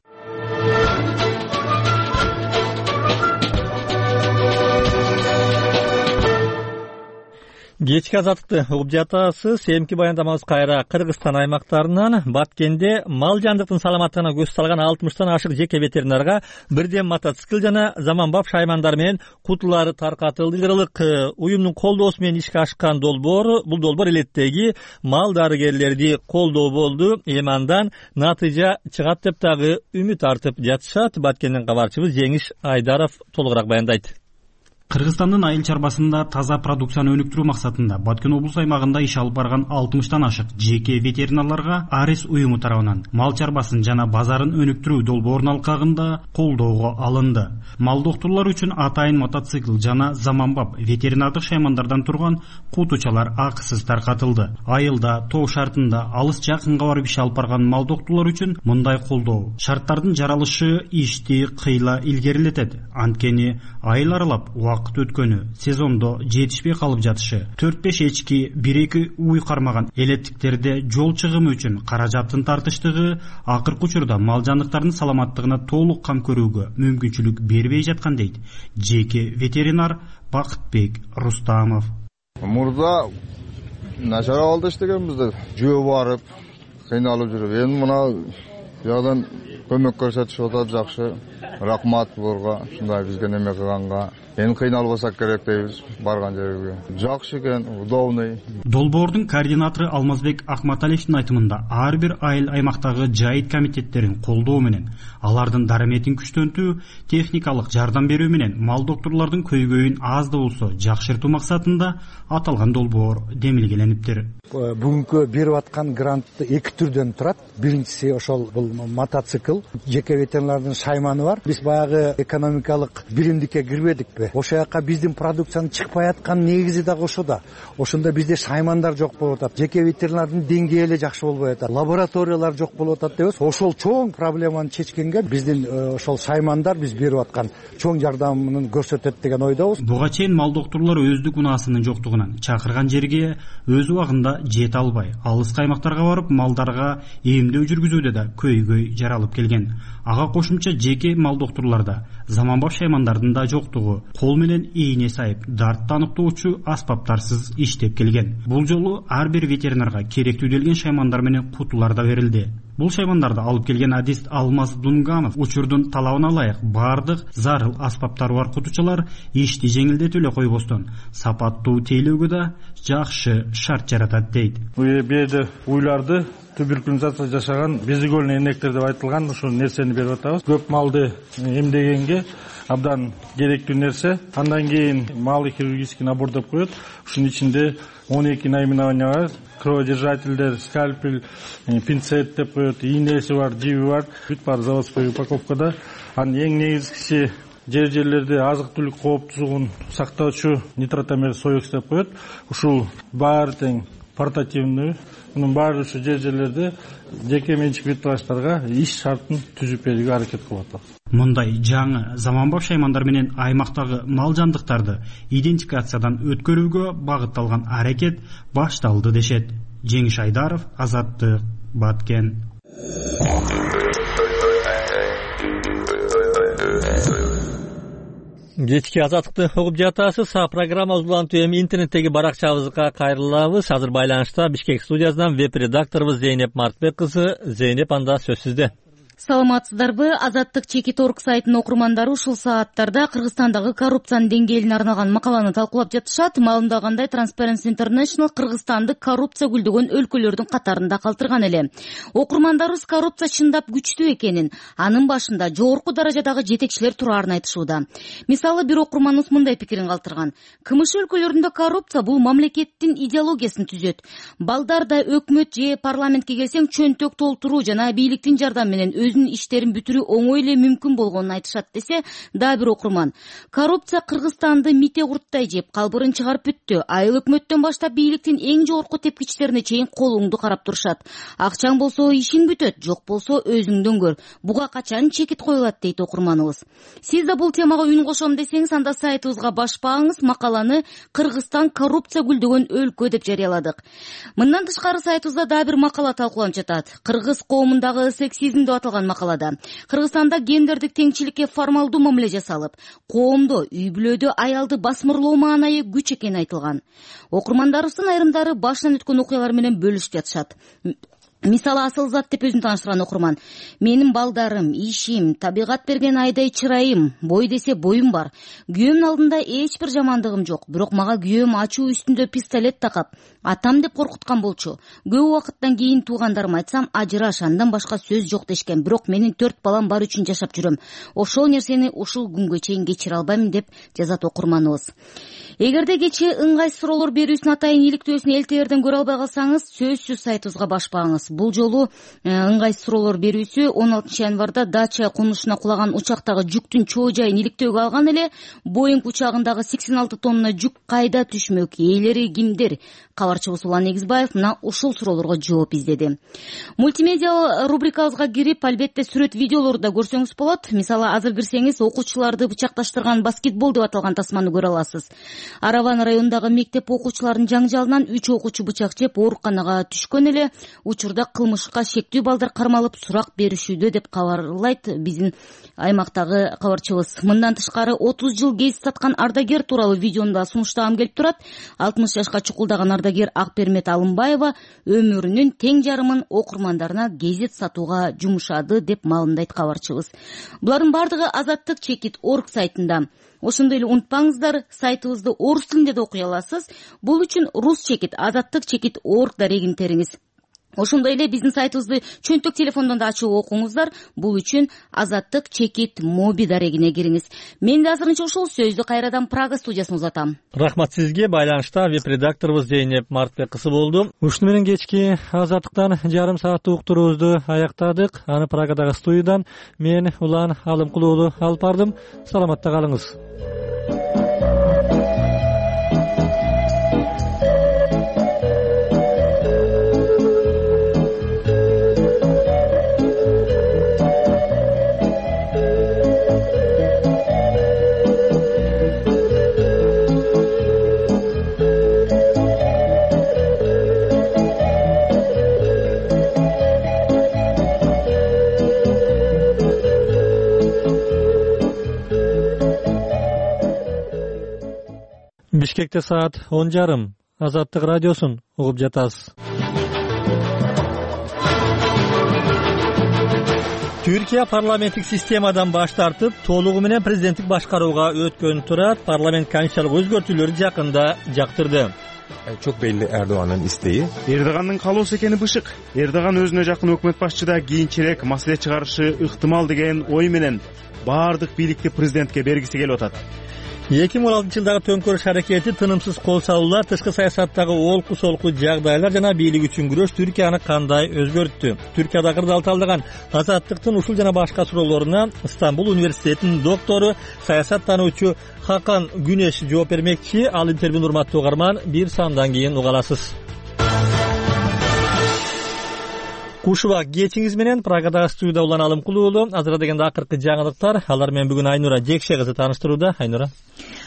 Кечки Азаттыкты угуп жатасыз. Эмки баяндамабыз кайра Кыргызстан аймактарынан. Баткенде мал жандыктын саламаттыгына көз салган 60тан ашык жеке ветеринарга бирден мотоцикл жана заманбап шаймандар менен кутулар таркатылды. Лидерлык уюмдун колдоосу менен ишке ашкан бул долбоор элеттеги мал дарыгерлерди колдоо болду. Эми андан натыйжа чыгат деп дагы үмүт артып жатышат. Баткенден кабарчыбыз Жеңиш Айдаров толугураак баяндайт. Кыргызстандын айыл чарбасында таза продукцияны өнүктүрүү максатында Баткен облус аймагында иш алып барган 60тан ашык жеке ветеринарларга Арис уюму тарабынан мал чарбасын жана базарын өнүктүрүү долбоорунун алкагында колдоого алынды. Мал доктурлар үчүн атайын мотоцикл жана заманбап ветеринардык шаймандардан турган кутучалар акысыз таркатылды. Айылда, тоо шартында алыс жакынга барып иш алып барган мал доктурлар үчүн мындай колдоо шарттардын жаралышы ишти кыйла илгерилетет. Анткени айыл аралап вакыт өткөнү, сезондо жетишпей калып жатышы, 4-5 эчки, 1-2 уй кармаган элеттиктерде жол чыгымы үчүн каражаттын тартыштыгы акыркы учурда мал жандыктардын саламаттыгына толук кам көрүүгө мүмкүнчүлүк бербей жаткан дейт жеке ветеринар Бакытбек Рустамов. Мурда начар абалда иштегенбиз, жөө барып кыйналып жүрүп, эми мына жагдан көмөк көрсөтүшүп атат, жакшы. Рахмат буларга, ушундай бизге неме кылганга. Эми кыйналбасак керек дейбиз, барган жерге. Жакшы экен, удобный. Долбоордун координатору Алмазбек Акматалиевдин айтымында ар бир айыл аймактагы жайыт комитеттерин колдоо менен, алардын дараметин күчтөнтүү, техникалык жардам берүү менен мал докторлордун көйгөйүн аз да болсо жакшыртуу максатында аталган долбоор демилгелениптир. Бүгүнкү берип аткан грант эки түрдөн турат. Биринчиси ошол бул мотоцикл, жеке ветеринардын шайманы бар. Биз баягы экономикалык биримдикке кирбедикпи? Ошол жака биздин продукциянын чыкпай аткан негизи дагы ошода. Ошондо бизде шаймандар жок болуп атат. Жеке ветеринардын деңгээли эле жакшы болбой атат. Лабораториялар жок болуп атат дебиз. Ошол чоң проблеманы чечкенге биздин ошол шаймандар биз берип аткан чоң жардамын көрсөтөт деген ойдобуз. Буга чейин мал докторлор өздүк унаасынын жоктугунан чакырган жерге өз убагында жете албай, алыс аймактарга барып малдарга эмдөө жүргүзүүдө да көйгөй жаралып келген. Ага кошумча жеке мал докторлордо заманбап шаймандардын да жоктугу, кол менен ийне сайып, дартты аныктоочу аспаптарсыз иштеп келген. Бул жолу ар бир ветеринарга керектүү делген шаймандар менен кутулар да берилди. Бул шаймандарды алып келген адист Алмаз Дунгамов учурдун талабына ылайык бардык зарыл аспаптары бар кутучалар ишти жеңилдетип эле койбостон сапаттуу тейлөөгө да жакшы шарт жаратат дейт. Бул уйларды туберкулезация жашаган безигольный энектер деп айтылган ушул нерсени берип атабыз. Көп малды эмдегенге абдан керектүү нерсе. Андан кийин малый хирургический набор деп коет. Ушунун ичинде 12 наименования бар. Кроводержательдер, скальпель, пинцет деп коет, ийнеси бар, жиби бар. Бүт бар заводской упаковкада. Анын эң негизгиси жерлерде азык-түлүк кооптузугун сактоочу нитротамер соекс деп коет. Ушул баары тең портативный. Мунун баары ушу жерлерде жеке менчик ветврачтарга иш шартын түзүп берүүгө аракет кылып атабыз. Мындай жаңы заманбап шаймандар менен аймактагы мал жандыктарды идентификациядан өткөрүүгө багытталган аракет башталды дешет. Жеңиш Айдаров, Азаттык, Баткен. Кечки Азаттыкты угуп жатасыз. Программа улантуу эми интернеттеги баракчабызга кайрылабыз. Азыр байланышта Бишкек студиясынан веб-редакторубуз Зейнеп Мартбек кызы. Зейнеп, анда сөз сизде. Саламатсыздарбы? Азаттык Чеки.орг сайтынын окурмандары ушул сааттарда Кыргызстандагы коррупциянын деңгээлине арналган макаланы талкуулап жатышат. Маалымдагандай, Transparency International Кыргызстанды коррупция гүлдөгөн өлкөлөрдүн катарында калтырган эле. Окурмандарыбыз коррупция чындап күчтүү экенин, анын башында жогорку даражадагы жетекчилер турарын айтышууда. Мисалы, бир окурманыбыз мындай пикирин калтырган. КМШ өлкөлөрүндө коррупция бул мамлекеттин идеологиясын түзөт. Балдарда өкмөт же парламентке келсең чөнтөк толтуруу жана бийликтин жардамы менен өзүнүн иштерин бүтүрүү оңой эле мүмкүн болгонун айтышат десе, дагы бир окурман. Коррупция Кыргызстанды мите курттай жеп, калбырын чыгарып бүттү. Айыл өкмөттөн баштап бийликтин эң жогорку тепкичтерине чейин колуңду карап турушат. Акчаң болсо ишиң бүтөт, жок болсо өзүңдөн көр. Буга качан чекит коюлат дейт окурманыбыз. Сиз да бул темага үн кошом десеңиз, анда сайтыбызга башпаңыз, макаланы Кыргызстан коррупция гүлдөгөн өлкө деп жарыяладык. Мындан тышкары сайтыбызда дагы бир макала талкууланып жатат. Кыргыз коомундагы сексизм деп аталган макалада Кыргызстанда гендердик теңчиликке формалдуу мамиле жасалып, коомдо, үй-бүлөдө аялды басмырлоо маанайы күч экени айтылган. Окурмандарыбыздын айрымдары башынан өткөн окуялар менен бөлүшүп жатышат. Мисалы, Асылзат деп өзүн тааныштырган окурман. Менин балдарым, ишим, табигат берген айдай чырайым, бой десе боюм бар. Күйөөмдүн алдында эч бир жамандыгым жок. Бирок мага күйөөм ачуу үстүндө пистолет такап, атам деп коркуткан болчу. Көп убакыттан кийин туугандарыма айтсам, ажыраш, андан башка сөз жок дешкен. Бирок менин 4 балам бар үчүн жашап жүрөм. Ошол нерсени ушул күнгө чейин кечире албайм деп жазат окурманыбыз. Эгерде кечээ ыңгайсыз суроолор берүүсүн атайын иликтөөсүн элтеерден көрө албай калсаңыз, сөзсүз сайтыбызга башпаңыз. Бул жолу ыңгайсыз суроолор берүүсү 16 январда Дача конушуна кулаган учактагы жүктүн чоо жайын иликтөөгө алган эле. Боинг учагындагы 86 тонна жүк кайда түшмөк, ээлери кимдер? Кабарчыбыз Улан Негизбаев мына ушул суроолорго жооп издеди. Мультимедиа рубрикабызга кирип, албетте сүрөт видеолорду да көрсөңүз болот. Мисалы, азыр кирсеңиз, окуучуларды бычакташтырган баскетбол деп аталган тасманы көрө аласыз. Араван районундагы мектеп окуучуларынын жаңжалынан 3 окуучу бычак жеп ооруканага түшкөн эле. Учурда кылмышка шектүү балдар кармалып сурак беришүүдө деп кабарлайт биздин аймактагы кабарчыбыз. Мындан тышкары 30 жыл гез саткан ардагер тууралуу видеону да сунуштагым келип турат. 60 жашка чукулдаган ардагер Акпермет Алымбаева өмүрүнүн тең жарымын окурмандарына гезет сатууга жумшады деп маалымдайт кабарчыбыз. Булардын бардыгы Азаттык.org сайтында. Ошондой эле унутпаңыздар, сайтыбызды орус тилинде да окуй аласыз. Бул үчүн rus.chekit Azattyk.org дарегин териңиз. Ошондой эле биздин сайтыбызды чөнтөк телефондон да ачып окуңуздар. Бул үчүн Azattyk.chekit моби дарегине кириңиз. Мен да азырынча ушул сөздү кайрадан Прага студиясына узатам. Рахмат сизге. Байланышта веб-редакторубуз Зейнеп Мартбек кызы болду. Ушуну менен кечки Азаттыктан жарым сааттык уктуруубузду аяктадык. Аны Прагадагы студиядан мен Улан Алымкул уулу алып бардым. Саламатта калыңыз. Бишкекте саат 10:30. Азаттык радиосун угуп жатасыз. Түркия парламенттик системадан баш тартып, толугу менен президенттик башкарууга өткөн турат. Парламент канчалык өзгөртүүлөрдү жакында жактырды. Çok belli Erdoğan'ın isteği. Erdoğan'ın kaloosu ekeni bışık. Erdoğan özüne jakın өкмөт башчыда кийинчерээк маселе чыгарышы ыктымал деген ой менен баардык бийликти президентке бергиси келип атат. 2016-жылдагы төңкөрүш аракети, тынымсыз кол салуулар, тышкы саясаттагы олку солку жагдайлар жана бийлик үчүн күрөш Түркияны кандай өзгөрттү? Түркияда кырдаал талдаган Азаттыктын ушул жана башка суроолоруна Стамбул университетинин доктору, саясаттануучу Хакан Күнеш жооп бермекчи. Ал интервьюну урматтуу угарман бир сандан кийин уга аласыз. Кушуба кечиңиз менен Прагадагы студияда Улан Алымкул уулу. Азыр дегенде акыркы жаңылыктар. Алар менен бүгүн Айнура Жекше кызы тааныштырууда. Айнура.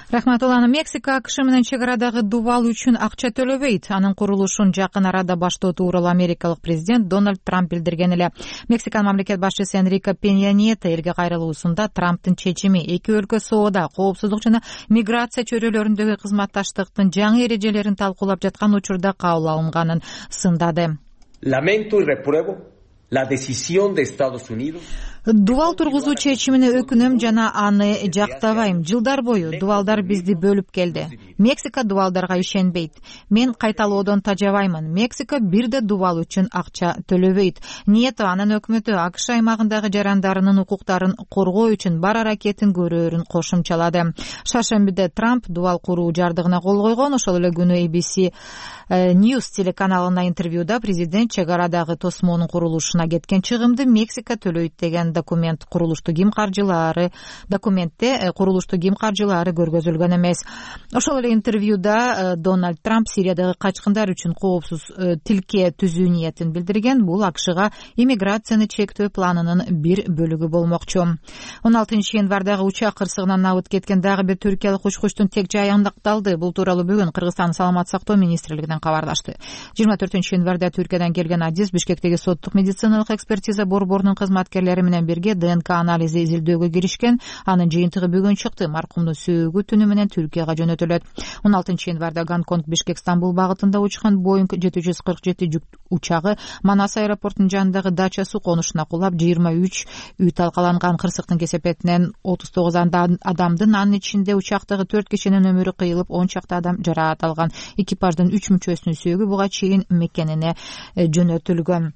Рахмат. Улан, Мексика АКШ менен чек арадагы дубал үчүн акча төлөбөйт. Анын курулушун жакын арада баштоо тууралуу америкалык президент Дональд Трамп билдирген эле. Мексиканын мамлекет башчысы Энрике Пенья Нието элге кайрылуусунда Трамптын чечими эки өлкө соода, коопсуздук жана миграция чөйрөлөрүндөгү кызматташтыктын жаңы эрежелерин талкуулап жаткан учурда кабыл алынганын сындады. Lamento y repruebo la decisión de Estados Unidos. Дубал тургузуу чечимине өкүнөм жана аны жактабайм. Жылдар бою дубалдар бизди бөлүп келди. Мексика дубалдарга ишенбейт. Мен кайталоодон тажабаймын. Мексика бирде дубал үчүн акча төлөбөйт. Нието анын өкмөтү АКШ аймагындагы жарандарынын укуктарын коргоо үчүн бар аракетин көрөөрүн кошумчалады. Шаршембиде Трамп дубал куруу жардыгына кол койгон. Ошол эле күнү ABC News телеканалына интервьюда президент чек арадагы тосмонун курулушуна кеткен чыгымды Мексика төлөйт деген документте курулушту ким каржылаары көргөзүлгөн эмес. Ошол эле интервьюда Дональд Трамп Сириядагы качкындар үчүн коопсуз тилке түзүү ниетин билдирген. Бул АКШга иммиграцияны чектөө планынын бир бөлүгү болмокчу. 16 январдагы учак кырсыгынан абыт кеткен дагы бир түркиялык учкучтун тек жайы андакталды. Бул тууралуу бүгүн Кыргызстан саламаттык сактоо министрлигинен кабарлашты. 24 январда Түркиядан келген Адис Бишкектеги соттук медициналык экспертиза борборунун кызматкерлери менен бирге ДНК анализи изилдөөгө киришкен. Анын жыйынтыгы бүгүн чыкты. Маркумдун сөөгү түнү менен Түркияга жөнөтүлөт. 16 январда Гонконг Бишкек Стамбул багытында учкан Boeing 747 жүк учагы Манас аэропортунун жанындагы дача суу конушуна кулап 23 үй талкаланган. Кырсыктын кесепетинен 39 адамдын, анын ичинде учактагы 4 кишинин өмүрү кыйылып, 10 чакты адам жараат алган. Экипаждын 3 мүчөсүнүн сөөгү буга чейин мекенине жөнөтүлгөн.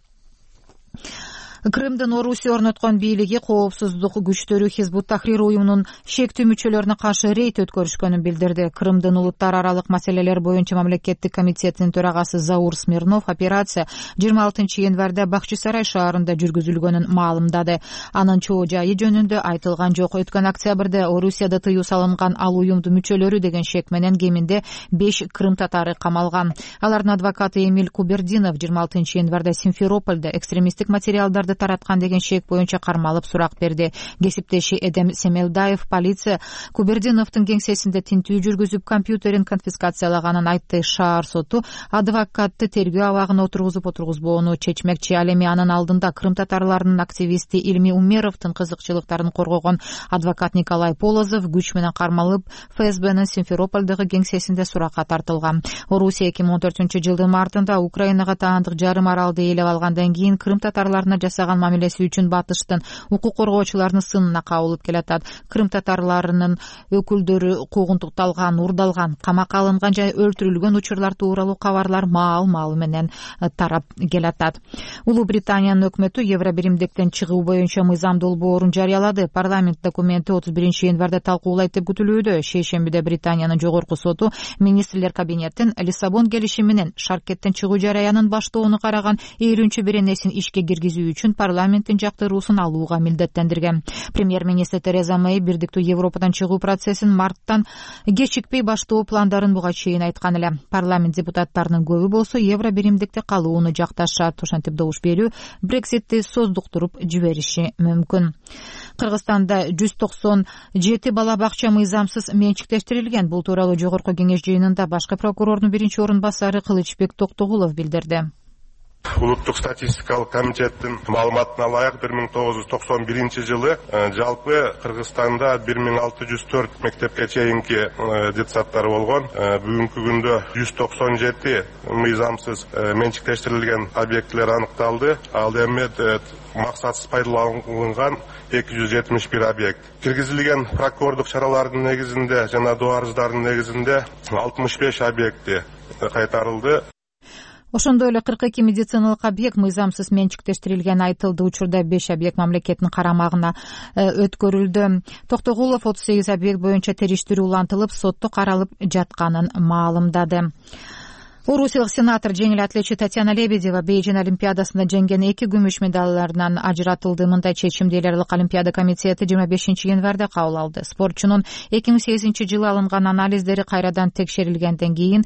Крымдын Орусия орноткон бийлиги коопсуздук күчтөрү Хизбут Тахрир уюмунун шектүү мүчөлөрүнө каршы рейд өткөрүшкөнүн билдирди. Крымдын улуттар аралык маселелер боюнча мамлекеттик комитетинин төрагасы Заур Смирнов операция 26 январда Бахчисарай шаарында жүргүзүлгөнүн маалымдады. Анын чоо жайы жөнүндө айтылган жок. Өткөн октябрда Орусияда тыюу салынган ал уюмдун мүчөлөрү деген шек менен кеминде 5 крым татары камалган. Алардын адвокаты Эмиль Кубердинов 26 январда Симферопольдо экстремисттик материалдарды материалдарды тараткан деген шек боюнча кармалып сурак берди. Кесиптеши Эдем Семелдаев полиция Кубердиновдун кеңсесинде тинтүү жүргүзүп, компьютерин конфискациялаганын айтты. Шаар соту адвокатты тергөө абагына отургузбоону чечмекчи. Ал эми анын алдында Крым татарларынын активисти Илми Умеровдун кызыкчылыктарын коргогон адвокат Николай Полозов күч менен кармалып, ФСБнын Симферопольдогу кеңсесинде суракка тартылган. Орусия 2014-жылдын мартында Украинага таандык жарым аралды ээлеп алгандан кийин Крым татарларына жасаган мамилеси үчүн батыштын укук коргоочуларынын сынына кабылып келатат. Крым татарларынын өкүлдөрү куугунтукталган, урдалган, камакка алынган жана өлтүрүлгөн учурлар тууралуу кабарлар маал менен тарап келатат. Улуу Британиянын өкмөтү Евробиримдиктен чыгуу боюнча мыйзам долбоорун жарыялады. Парламент документи 31-январда талкуулайт деп күтүлүүдө. Шейшембиде Британиянын жогорку соту министрлер кабинетин Лиссабон келишими менен шаркеттен чыгуу жараянын баштоону караган 50-беренесин ишке киргизүү үчүн парламенттин жактыруусун алууга милдеттендирген. Премьер-министр Тереза Мэй бирдиктүү Европадан чыгуу процессин марттан кечикпей баштоо пландарын буга чейин айткан эле. Парламент депутаттарынын көбү болсо Евробиримдикте калууну жакташат. Ошентип добуш берүү Брекситти создуктуруп жибериши мүмкүн. Кыргызстанда 197 бала бакча мыйзамсыз менчиктештирилген. Бул тууралуу жогорку кеңеш жыйынында башкы прокурордун биринчи орун басары Кылычбек Токтогулов билдирди. Улуттук статистикалык комитеттин маалыматына ылайык 1991-жылы жалпы Кыргызстанда 1604 мектепке чейинки детсадтар болгон. Бүгүнкү күндө 197 мыйзамсыз менчиктештирилген объектилер аныкталды. Ал эми максатсыз пайдаланган 271 объект. Киргизилген прокурордук чаралардын негизинде жана доо арыздардын негизинде 65 объекти кайтарылды. Ошондой эле 42 медициналык объект мыйзамсыз менчиктештирилгени айтылды. Учурда 5 объект мамлекеттин карамагына өткөрүлдү. Токтогулов 38 объект боюнча териштирүү улантылып, сотто каралып жатканын маалымдады. Орусиялык сенатор жеңил атлетчи Татьяна Лебедева Бейжин олимпиадасында жеңген 2 күмүш медалларынан ажыратылды. Мындай чечимди эл аралык олимпиада комитети 25-январда кабыл алды. Спортчунун 2008-жылы алынган анализдери кайрадан текшерилгенден кийин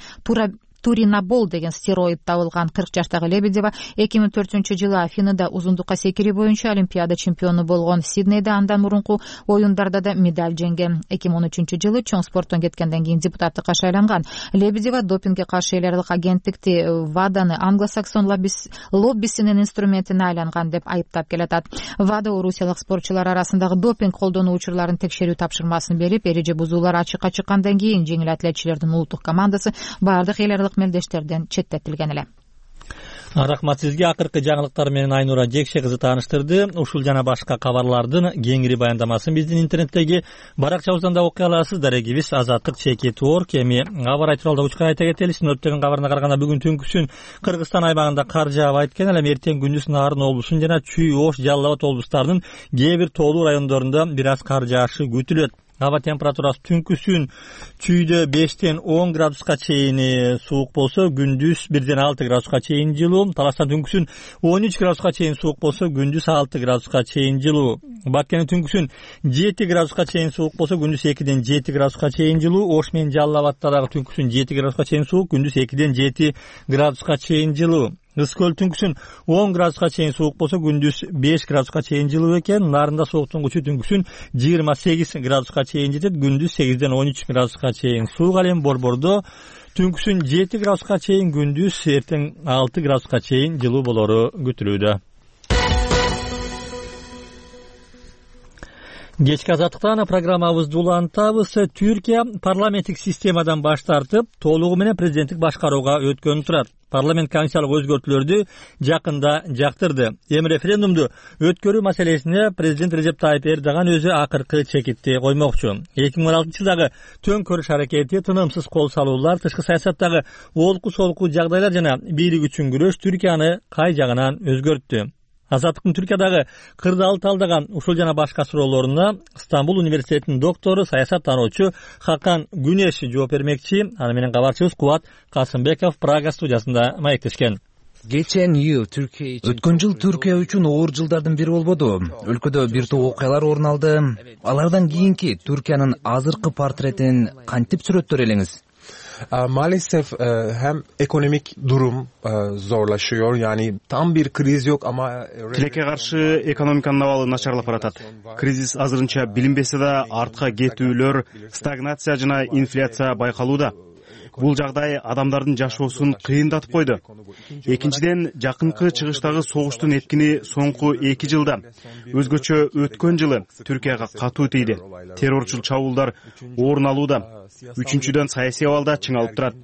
Туринабол деген стероид табылган. 40 жаштагы Лебедева 2004-жылы Афинада узундукка секирүү боюнча олимпиада чемпиону болгон. Сиднейде андан мурунку оюндарда да медаль жеңген. 2013-жылы чоң спорттон кеткенден кийин депутаттыкка шайланган. Лебедева допингге каршы эл аралык агенттикти ВАДАны англосаксон лоббисинин инструментине айланган деп айыптап келатат. ВАДА орусиялык спортчулар арасындагы допинг колдонуу учурларын текшерүү тапшырмасын берип, эреже бузуулар ачыкка чыккандан кийин жеңил атлетчилердин улуттук командасы баардык эл аралык мелдештерден четтетилген эле. Рахмат сизге. Акыркы жаңылыктар менен Айнура Жекше кызы тааныштырды. Ушул жана башка кабарлардын кеңири баяндамасын биздин интернеттеги баракчабыздан да окуй аласыз. Дарегибиз azatlyk.org. Эми кабар айтыралда учкан айта кетели. Синоптиктин кабарына караганда бүгүн түнкүсүн Кыргызстан аймагында кар жаап экен. Эле эртең күндүз Нарын облусунун жана Чүй, Ош, Жалал Абад облустарынын кээ бир тоолуу райондорунда бир аз кар жаашы күтүлөт. Аба температурасы түнкүсүн Чүйдө 5-10 градуска чейин суук болсо, күндүз 1-6 градуска чейин жылуу. Таластан түнкүсүн 13 градуска чейин суук болсо, күндүз 6 градуска чейин жылуу. Баккени түнкүсүн 7 градуска чейин суук болсо, күндүз 2-7 градуска чейин жылуу. Ош менен Жалал Абадта дагы түнкүсүн 7 градуска чейин суук, күндүз 2-7 градуска чейин жылуу. Ызкөл түнкүсүн 10 градуска чейин суук болсо, күндүз 5 градуска чейин жылуу экен. Нарында сууктун күчү түнкүсүн 28 градуска чейин жетет, күндүз 8-13 градуска чейин суук. Ал эми Борбордо түнкүсүн 7 градуска чейин, күндүз эртең 6 градуска чейин жылуу болору күтүлүүдө. Кечки азаттыктан программабызды улантабыз. Түркия парламенттик системадан баш тартып, толугу менен президенттик башкарууга өткөнү турат. Парламент комиссиялык өзгөртүүлөрдү жакында жактырды. Эми референдумду өткөрүү маселесине президент Режеп Тайип Эрдоган өзү акыркы чекитти коймокчу. 2016-жылдагы төңкөрүш аракети, тынымсыз кол салуулар, тышкы саясаттагы олку-солку жагдайлар жана бийлик үчүн күрөш Түркияны кай жагынан өзгөрттү? Азаттыктын Түркиядагы кырдаалды талдаган ушул жана башка суроолоруна Стамбул университетинин доктору, саясаттануучу Хакан Күнеш жооп бермекчи. Аны менен кабарчыбыз Кубат Касымбеков Прага студиясында маектешкен. Өткөн жыл Түркия үчүн оор жылдардын бири болбоду. Өлкөдө бир топ окуялар орун алды. Алардан кийинки Түркиянын азыркы портретин кантип сүрөттөр элеңиз? Maalesef hem ekonomik durum zorlaşıyor. Yani tam bir kriz yok ama тилекке каршы экономиканын абалы начарлап баратат. Кризис азырынча билинбесе да артка кетүүлөр, стагнация жана инфляция байкалууда. Бул жагдай адамдардын жашоосун кыйындатып койду. Экинчиден, жакынкы чыгыштагы согуштун эткини соңку 2 жылда, өзгөчө өткөн жылы Түркияга катуу тийди. Террорчул чабуулдар орун алууда. Үчүнчүдөн, саясий абалда чыңалып турат.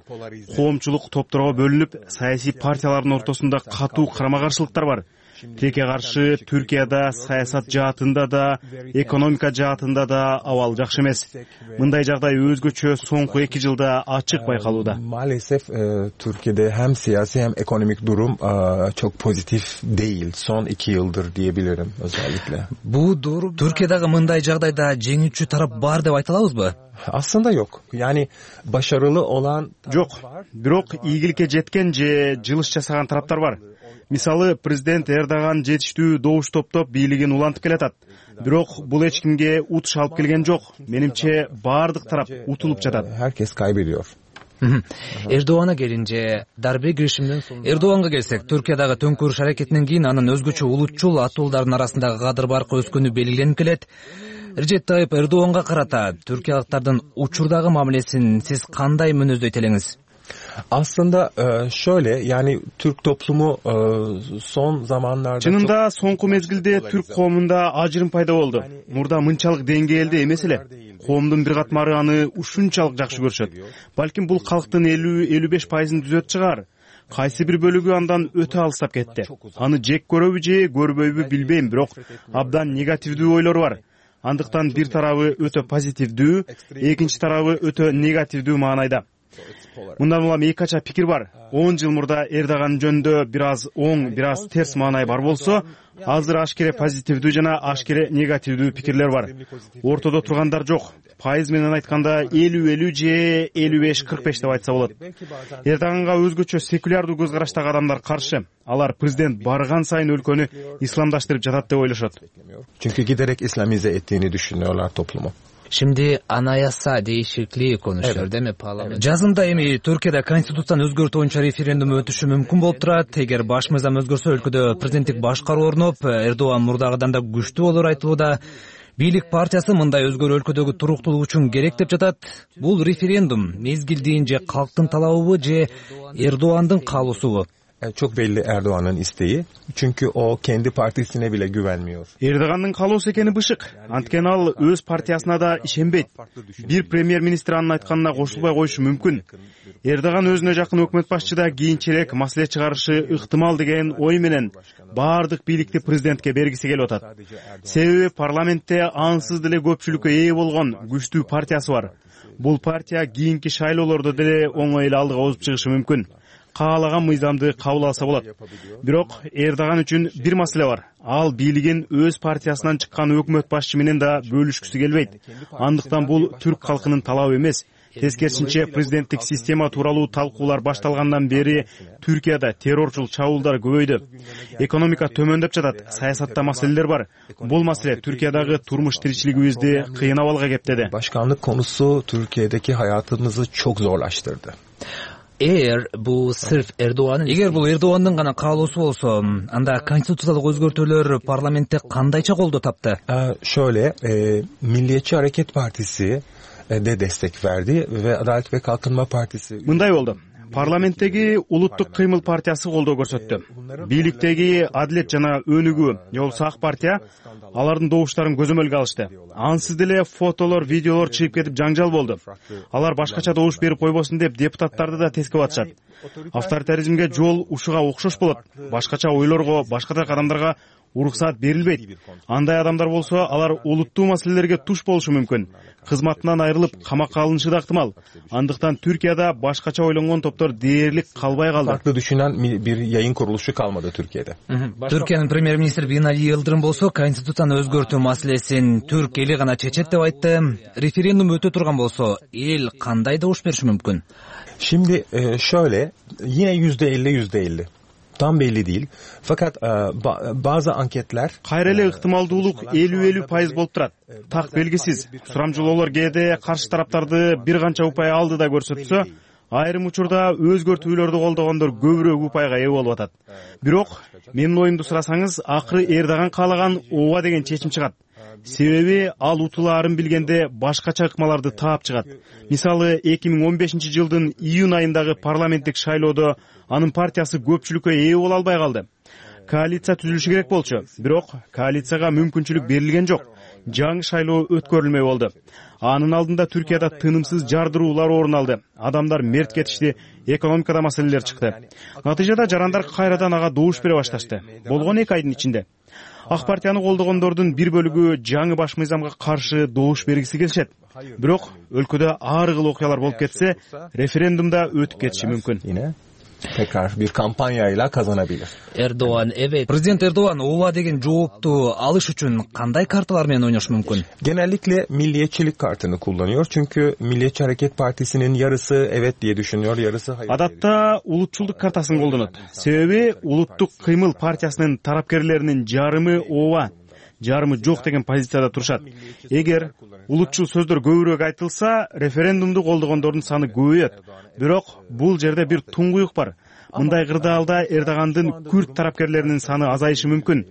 Коомчулук топторго бөлүнүп, саясий партиялардын ортосунда катуу карама-каршылыктар бар. Тилекке каршы Түркияда саясат жаатында да, экономика жаатында да абал жакшы эмес. Мындай жагдай өзгөчө соңку 2 жылда ачык байкалууда. Maalesef Türkiye'de hem siyasi hem ekonomik durum çok pozitif değil. Son 2 yıldır diyebilirim özellikle. Bu durum Türkiye'dagi mындай жагдайда жеңүүчү тарап бар деп айта алабызбы? Aslında yok. Yani başarılı olan жок. Бирок ийгиликке жеткен же жылыш жасаган тараптар бар. Мисалы, президент Эрдоган жетиштүү добуш топтоп бийлигин улантып келатат. Бирок бул эч кимге утуш алып келген жок. Менимче баардык тарап утулуп жатат. Herkes kaybediyor. Эрдоганга келинce дарбе girişimden soň Эрдоганга келсек, Түркиядагы төңкөрүш аракетинен кийин анын өзгөчө улутчул атуулдардын арасындагы кадыр баркы өскөнү белгиленип келет. Режеп Тайып Эрдоганга карата түркиялыктардын учурдагы мамилесин сиз кандай мүнөздөйт элеңиz? Aslında şöyle, yani Türk toplumu son zamanlarda чынында соңку мезгилде түрк коомунда ажырым пайда болду. Мурда мынчалык деңгээлде эмес эле. Коомдун бир катмары аны ушунчалык жакшы көрүшөт. Балким бул калктын 50-55% түзөт чыгар. Кайсы бир бөлүгү андан өтө алыстап кетти. Аны жек көрөбү же көрбөйбү билбейм, бирок абдан негативдүү ойлор бар. Андыктан бир тарабы өтө позитивдүү, экинчи тарабы өтө негативдүү маанайда. Мындан улам эки кача пикир бар. 10 жыл мурда Эрдоган жөнүндө бир аз оң, бир аз терс маанай бар болсо, азыр ашкере позитивдүү жана ашкере негативдүү пикирлер бар. Ортодо тургандар жок. Пайыз менен айтканда 50-50 же 55-45 деп айтса болот. Эрдоганга өзгөчө секулярдуу көз караштагы адамдар каршы. Алар президент барган сайын өлкөнү исламдаштырып жатат деп ойлошот. Çünkü giderek İslamize ettiğini düşünüyorlar toplumu. Şimdi anayasa değişikliği konuşuyor değil mi parlament? Жазында эми Түркияда конституцияны өзгөртүү боюнча референдум өтүшү мүмкүн болуп турат. Эгер баш мыйзам өзгөрсө, өлкөдө президенттик башкаруу орноп, Эрдоган мурдагыдан да күчтүү болор айтылууда. Бийлик партиясы мындай өзгөрүү өлкөдөгү туруктуулук үчүн керек деп жатат. Бул референдум мезгилдин же калктын талабыбы же Эрдогандын каалоосубу? Çok belli Erdoğan'ın isteği. Çünkü o kendi partisine bile güvenmiyor. Эрдогандын каалоосу экени бышык. Анткени ал өз партиясына да ишенбейт. Бир премьер-министр анын айтканына кошулбай коюшу мүмкүн. Эрдоган өзүнө жакын өкмөт башчыда кийинчерээк маселе чыгарышы ыктымал деген ой менен баардык бийликти президентке бергиси келип атат. Себеби парламентте ансыз деле көпчүлүккө ээ болгон күчтүү партиясы бар. Бул партия кийинки шайлоолордо деле оңой эле алдыга озуп чыгышы мүмкүн. Каалаган мыйзамды кабыл алса болот. Бирок Эрдоган үчүн бир маселе бар. Ал бийлигин өз партиясынан чыккан өкмөт башчы менен да бөлүшкүсү келбейт. Андыктан бул түрк калкынын талабы эмес. Тескерисинче, президенттик система тууралуу талкуулар башталгандан бери Түркияда террорчул чабуулдар көбөйдү. Экономика төмөндөп жатат, саясатта маселелер бар. Бул маселе Türkiye'dagi turmuş tirikçiligimizdi kıyın avalga geptedi. Başkanlık konusu Türkiye'deki hayatımızı çok zorlaştırdı. Эгер бул Эрдогандын гана каалоосу болсо, анда конституциялык өзгөртүүлөр парламентте кандайча колдоо тапты? Şöyle, Milliyetçi Hareket Partisi de destek verdi ve Adalet ve Kalkınma Partisi. Мындай болду. Парламенттеги Улуттук кыймыл партиясы колдоо көрсөттү. Бийликтеги Адилет жана Өнүгүү, жолсу ак партия алардын добуштарын көзөмөлгө алышты. Ансыз деле фотолор, видеолор чыгып кетип жаңжал болду. Алар башкача добуш берип койбосун деп депутаттарды да тескеп атышат. Авторитаризмге жол ушуга окшош болот. Башкача ойлорго, башка адамдарга уруксаат берилбейт. Андай адамдар болсо, алар улуттуу маселелерге туш болушу мүмкүн. Кызматынан айрылып, камакка алынышы да ыктымал. Андыктан Türkiye'de башкача ойлонгон топтор дээрлик калбай калды. Farklı düşünen bir yayın kuruluşu kalmadı Türkiye'de. Türkiye'nin Premier-Ministri Binali Yıldırım bolso, konstituцияны өзгөртүү маселесин түрк эли гана чечет деп айтты. Референдум өтө турган болсо, эл кандай добуш бериши мүмкүн? Şimdi şöyle, yine %50. Tam belli değil. Fakat bazı anketler кайра эле ыктымалдуулук 50-50% болуп турат. Так белгисиз. Сурамжылоолор кээде каршы тараптарды бир канча упай алды да көрсөтсө, Айрым учурда өзгөртүүлөрдү колдогондор көбүрөөк упайга ээ болуп атат. Бирок менин оюмду сурасаңыз, акыры Эрдоган каалаган ооба деген чечим чыгат. Себеби ал утулаарын билгенде башкача ыкмаларды таап чыгат. Мисалы 2015-жылдын июнь айындагы парламенттик шайлоодо анын партиясы көпчүлүккө ээ боло албай калды. Коалиция түзүлүшү керек болчу, бирок коалицияга мүмкүнчүлүк берилген жок. Жаңы шайлоо өткөрүлмөй болду. Анын алдында Түркияда тынымсыз жардыруулар орун алды. Адамдар мерт кетишти, экономикада маселелер чыкты. Натыйжада жарандар кайрадан ага добуш бере башташты. Болгон 2 айдын ичинде. Ак партияны колдогондордун бир бөлүгү жаңы баш мыйзамга каршы добуш бергиси келишет. Бирок өлкөдө ар кыл окуялар болуп кетсе, референдумда өтүп кетиши мүмкүн. Tekrar bir kampanyayla kazanabilir. Erdoğan, evet. Prezident Erdoğan ооба деген жоопту алыш үчүн кандай карталар менен ойнош мүмкүн? Genellikle milliyetçilik kartını kullanıyor. Çünkü Milliyetçi Hareket Partisi'nin yarısı evet diye düşünüyor, yarısı hayır. Адатта улутчулдук картасын колдонот. Себеби улуттук кыймыл партиясынын тарапкерлеринин жарымы ооба, жарымы жок деген позицияда турушат. Эгер улутчул сөздөр көбүрөөк айтылса, референдумду колдогондордун саны көбөйөт. Бирок бул жерде бир туңгуюк бар. Мындай кырдаалда Эрдогандын күрд тарапкерлеринин саны азайышы мүмкүн.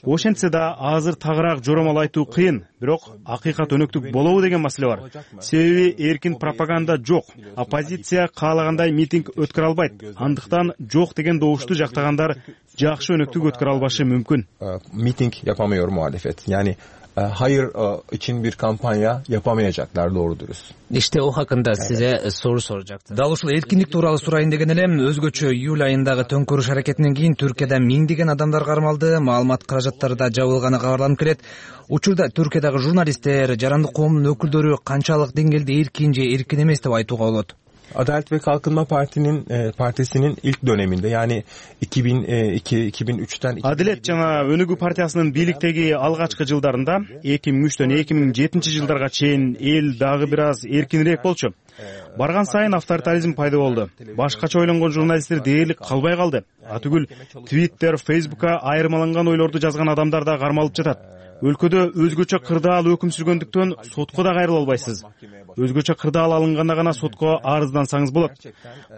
Ошентсе да азыр тагыраак жоромол айтуу кыйын, бирок акыйкат өнөктүк болобу деген маселе бар. Себеби эркин пропаганда жок. Оппозиция каалагандай митинг өткөрө албайт. Андыктан жок деген добушту жактагандар жакшы өнөктүк өткөрө албашы мүмкүн. Miting yapamıyor muhalefet. Yani hayır için bir kampanya yapamayacaklar doğru dürüst. İşte o hakkında size soru soracaktım. Dal ушул эркиндик тууралуу сурайын деген элем. Өзгөчө июль айындагы төңкөрүш аракетинен кийин Түркияда миңдеген адамдар кармалды, маалымат каражаттары да жабылганы кабарланып келет. Учурда Түркиядагы журналисттер, жарандык коомдун өкүлдөрү канчалык деңгээлде эркин же эркин эмес деп айтууга болот. Adalet ve Kalkınma Partisi'nin ilk döneminde yani 2002-2003'ten Adalet жана Өнүгүү партиясынын бийликтеги алгачкы жылдарында 2003төн 2007-жылдарга чейин эл дагы бир аз эркинирээк болчу. Барган сайын авторитаризм пайда болду. Башкача ойлонгон журналисттер дээрлик калбай калды. Атүгүл Twitter, Facebook'ка айырмаланган ойлорду жазган адамдар да кармалып жатат. Өлкөдө өзгөчө кырдаал өкүм сүргөндүктөн сотко да кайрыла албайсыз. Өзгөчө кырдаал алынганда гана сотко арыздансаңыз болот.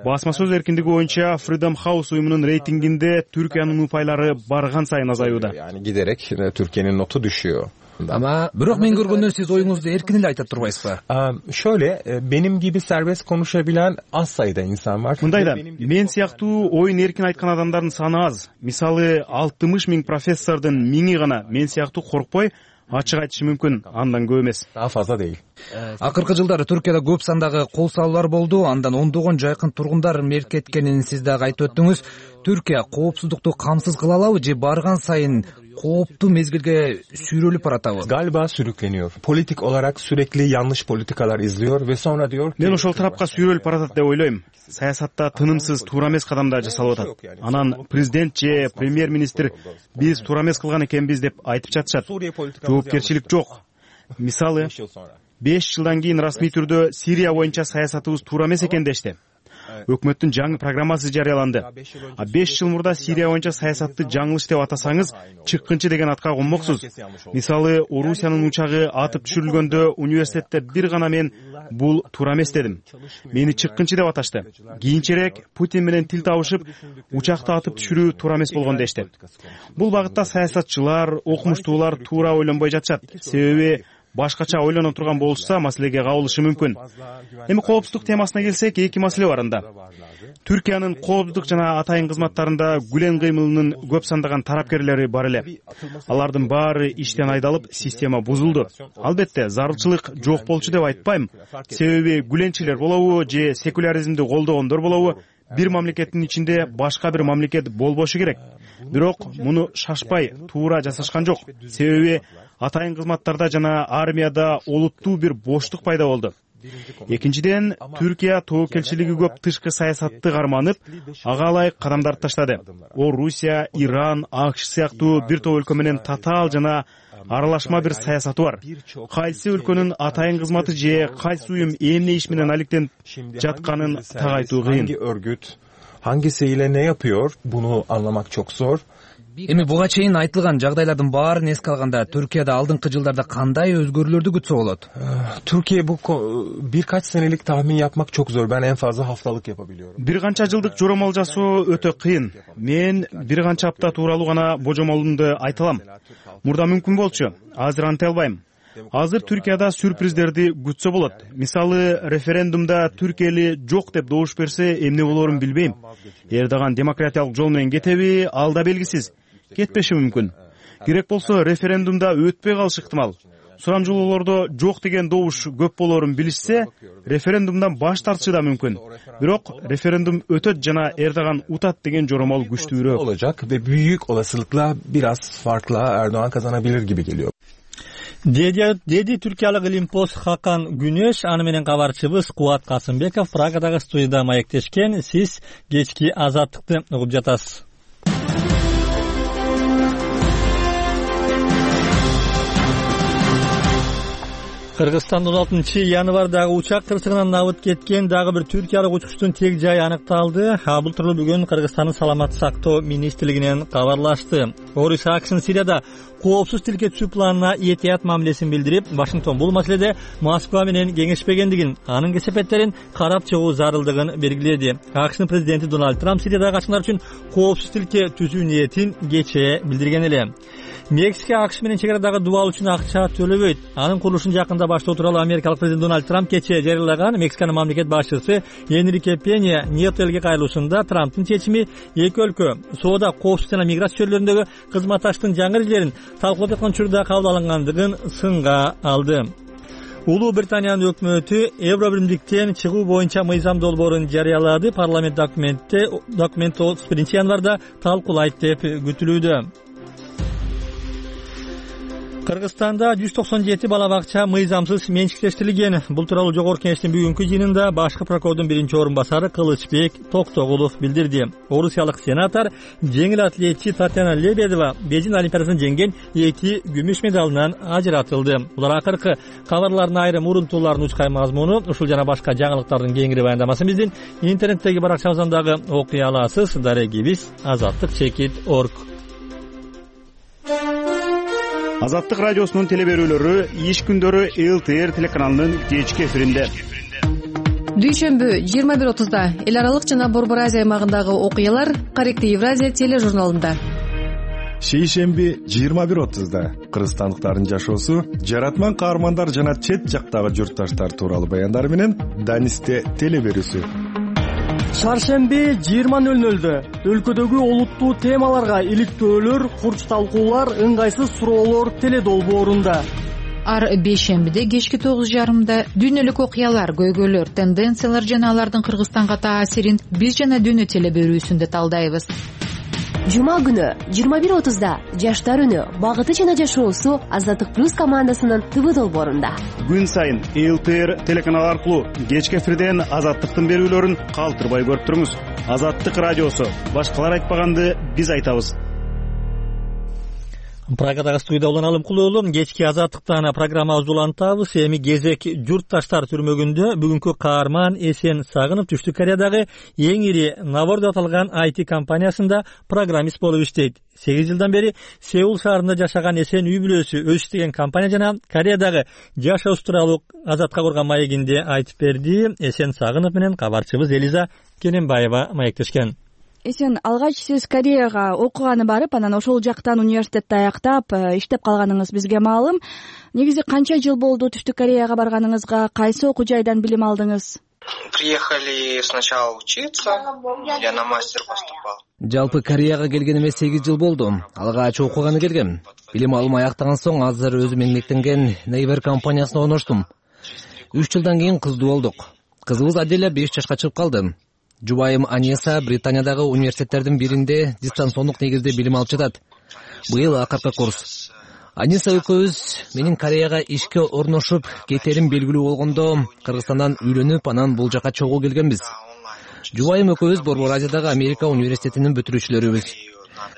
Басма сөз эркиндиги боюнча Freedom House уюмунун рейтингинде Түркиянын упайлары барган сайын азаюуда. Yani giderek Türkiye'nin notu düşüyor. Ama бирок мен көргөндөн сиз оюңузду эркин эле айтып турбайсызбы? Şöyle benim gibi serbest konuşabilen az sayıda insan var. Мындайда, мен сыяктуу оюн эркин айткан адамдардын саны аз. Мисалы 60 000 профессордун 1000 гана мен сыяктуу коркпой ачык айтышы мүмкүн, андан көп эмес. Daha fazla değil. Акыркы жылдары Түркияда көп сандагы кол салуулар болду, андан ондогон жайкын тургундар мерт кеткенин сиз дагы айтып өттүңүз. Түркия коопсуздукту камсыз кыла алабы же барган сайын kooптуу mezgilge sürülüp aratабы? Galiba sürükleniyor. Politik olarak sürekli yanlış politikalar izliyor ve sonra diyor ki... Мен ошол тарапка сүйрөлүп баратат деп ойлойм. Саясатта тынымсыз туура эмес кадамдар жасалып атат. Анан президент же премьер-министр биз туура эмес кылган экенбиз деп айтып жатышат. Жоопкерчилик жок. Мисалы, 5 жылдан кийин расмий түрдө Сирия боюнча саясатыбыз туура эмес экен дешти. Өкмөттүн жаңы программасы жарыяланды. 5 жыл мурда Сирия боюнча саясатты жаңылыш деп атасаңыз, чыккынчы деген атка конмоксуз. Мисалы, Орусиянын учагы атып түшүрүлгөндө университетте бир гана мен бул туура эмес дедим. Мени чыккынчы деп аташты. Кийинчерээк Путин менен тил табышып, учакты атып түшүрүү туура эмес болгон дешти. Бул багытта саясатчылар, окумуштуулар туура ойлонбой жатышат. Себеби башкача ойлоно турган болушса, маселеге кабылышы мүмкүн. Эми коопсуздук темасына келсек, эки маселе бар анда. Түркиянын коопсуздук жана атайын кызматтарында Гүлен кыймылынын көп сандаган тарапкерлери бар эле. Алардын баары иштен айдалып, система бузулду. Албетте, зарылчылык жок болчу деп айтпайм. Себеби Гүленчилер болобу же секуляризмди колдогондор болобу, бир мамлекеттин ичинде башка бир мамлекет болбошу керек. Бирок муну шашпай, туура жасашкан жок. Себеби атайын кызматтарда жана армияда олуттуу бир боштук пайда болду. Экинчиден, Түркия тобокелчилиги көп тышкы саясатты карманып, ага ылайык кадамдарды таштады. Орусия, Иран, АКШ сыяктуу бир топ өлкө менен татаал жана аралашма бир саясаты бар. Кайсы өлкөнүн атайын кызматы же кайсы уюм эмне иш менен алектенип жатканын так айтуу кыйын. Hangi örgüt hangisiyle ne yapıyor bunu anlamak çok zor. Эми буга чейин айтылган жагдайлардын баарын эске алганда Түркияда алдыңкы жылдарда кандай өзгөрүүлөрдү күтсө болот? Türkiye bu birkaç senelik tahmin yapmak çok zor. Ben en fazla haftalık yapabiliyorum. Бир канча жылдык жоромол жасоо өтө кыйын. Мен бир канча апта тууралуу гана божомолумду айта алам. Мурда мүмкүн болчу. Азыр антай албайм. Азыр Түркияда сюрприздерди күтсө болот. Мисалы, референдумда Түркия эли жок деп добуш берсе, эмне болорун билбейм. Эрдоган демократиялык жол менен кетеби, ал да белгисиз. Кетпеши мүмкүн. Керек болсо референдумда өтпөй калышы ыктымал. Сурамжылоолордо жок деген добуш көп болорун билишсе, референдумдан баш тартышы да мүмкүн. Бирок референдум өтөт жана Эрдоган утат деген жоромол күчтүүрөөк olacak ve büyük olasılıkla biraz farkla Erdoğan kazanabilir gibi geliyor. Деди түркиялык Илимпоз Хакан Күнөш, аны менен кабарчыбыз Кубат Касымбеков Прагадагы студияда маектешкен. Сиз кечки Азаттыкты угуп жатасыз. Кыргызстанда 16-январдагы учак кырсыгынан абыт кеткен дагы бир түркиялык учкучтун тег жайы аныкталды. Бул тууралуу бүгүн Кыргызстандын саламаттык сактоо министрлигинен кабарлашты. Орис Акшин Сирияда коопсуз тилке түзүү планына этият мамилесин билдирип, Вашингтон бул маселеде Москва менен кеңешпегендигин, анын кесепеттерин карап чыгуу зарылдыгын белгиледи. Акшнын президенти Дональд Трамп Сириядагы качкындар үчүн коопсуз тилке түзүү ниетин кечээ билдирген эле. Мексика АКШ менен чегарадагы дубал үчүн акча төлөбөйт. Анын курулушун жакында баштоо тууралуу америкалык президент Дональд Трамп кечээ жарыялаган. Мексиканын мамлекет башчысы Энрике Пенья Нието элге кайрылуусунда Трамптын чечими эки өлкө соода, коопсуздук жана миграция чөйрөлөрүндөгү кызматташтыктын жаңы эрежелерин талкуулап жаткан учурда кабыл алынгандыгын сынга алды. Улуу Британиянын өкмөтү Евро биримдиктен чыгуу боюнча мыйзам долбоорун жарыялады. Парламент документти 31-январда талкуулайт деп күтүлүүдө. Кыргызстанда 197 бала бакча мыйзамсыз менчиктештирилген. Бул тууралуу Жогорку Кеңештин бүгүнкү жыйынында башкы прокурордун биринчи орун басары Кылычбек Токтогулов билдирди. Орусиялык сенатор жеңил атлетчи Татьяна Лебедова Бейжин олимпиадасынан жеңген 2 күмүш медалынан ажыратылды. Булар акыркы кабарлардын айрым урунтууларынын учкай мазмуну. Ушул жана башка жаңылыктардын кеңири баяндамасын биздин интернеттеги баракчабыздан дагы окуй аласыз. Дарегибиз azattik.org. Азаттык радиосунун телеберүүлөрү иш күндөрү ЛТР телеканалынын кечки эфиринде. Дүйшөмбү 21:30-да эл аралык жана Борбор Азия аймагындагы окуялар Корректив Евразия тележурналында. Шейшемби 21:30-да кыргызстандыктардын жашоосу, жаратман каармандар жана чет жактагы журтташтар тууралуу баяндар менен Данисте телеберүүсү. Чаршемби 20:00-дө өлкөдөгү олуттуу темаларга иликтөөлөр, курч талкуулар, ыңгайсыз суроолор теледолбоорунда. Ар бейшембиде кечки 9:30-да дүйнөлүк окуялар, көйгөйлөр, тенденциялар жана алардын Кыргызстанга таасирин биз жана дүйнө телеберүүсүндө талдайбыз. Жума күнү 21:30-да жаштар үнү, багыты жана жашоосу Азаттык плюс командасынын ТВ долбоорунда. Күн сайын ЛТР телеканалы аркылуу кечки эфирден Азаттыктын берүүлөрүн калтырбай көрүп туруңуз. Азаттык радиосу, башкалар айтпаганды биз айтабыз. Прагадагы студияда Улан Алымкулуулу кечки Азаттыктан программабызды улантабыз. Эми кезек журтташтар түрмөгүндө бүгүнкү каарман Эсен Сагынов Түштүк Кореядагы эң ири Навор деп аталган IT компаниясында программист болуп иштейт. 8 жылдан бери Сеул шаарында жашаган Эсен үй бүлөсү өз иштеген компания жана Кореядагы жашоосу тууралуу Азатка курган маегинде айтып берди. Эсен Сагынов менен кабарчыбыз Элиза Кененбаева маектешкен. Эсен, алгач сиз Кореяга окуганы барып, анан ошол жактан университетти аяктап, иштеп калганыңыз бизге маалым. Негизи канча жыл болду Түштүк Кореяга барганыңызга, кайсы окуу жайдан билим алдыңыз? Приехали сначала учиться, я на мастер поступал. Жалпы Кореяга келгениме 8 жыл болду. Алгач окуганы келгем. Билим алым аяктаган соң азыр өзүм эмгектенген Naver компаниясына орноштум. 3 жылдан кийин кыздуу болдук. Кызыбыз Аделя 5 жашка чыгып калды. Жубайым Анеса Британиядагы университеттердин биринде дистанциондук негизде билим алып жатат. Быйыл акыркы курс. Анеса экөөбүз менин Кореяга ишке орношуп кетерим белгилүү болгондо Кыргызстандан үйлөнүп, анан бул жака чогуу келгенбиз. Жубайым экөөбүз Борбор Азиядагы Америка университетинин бүтүрүүчүлөрүбүз.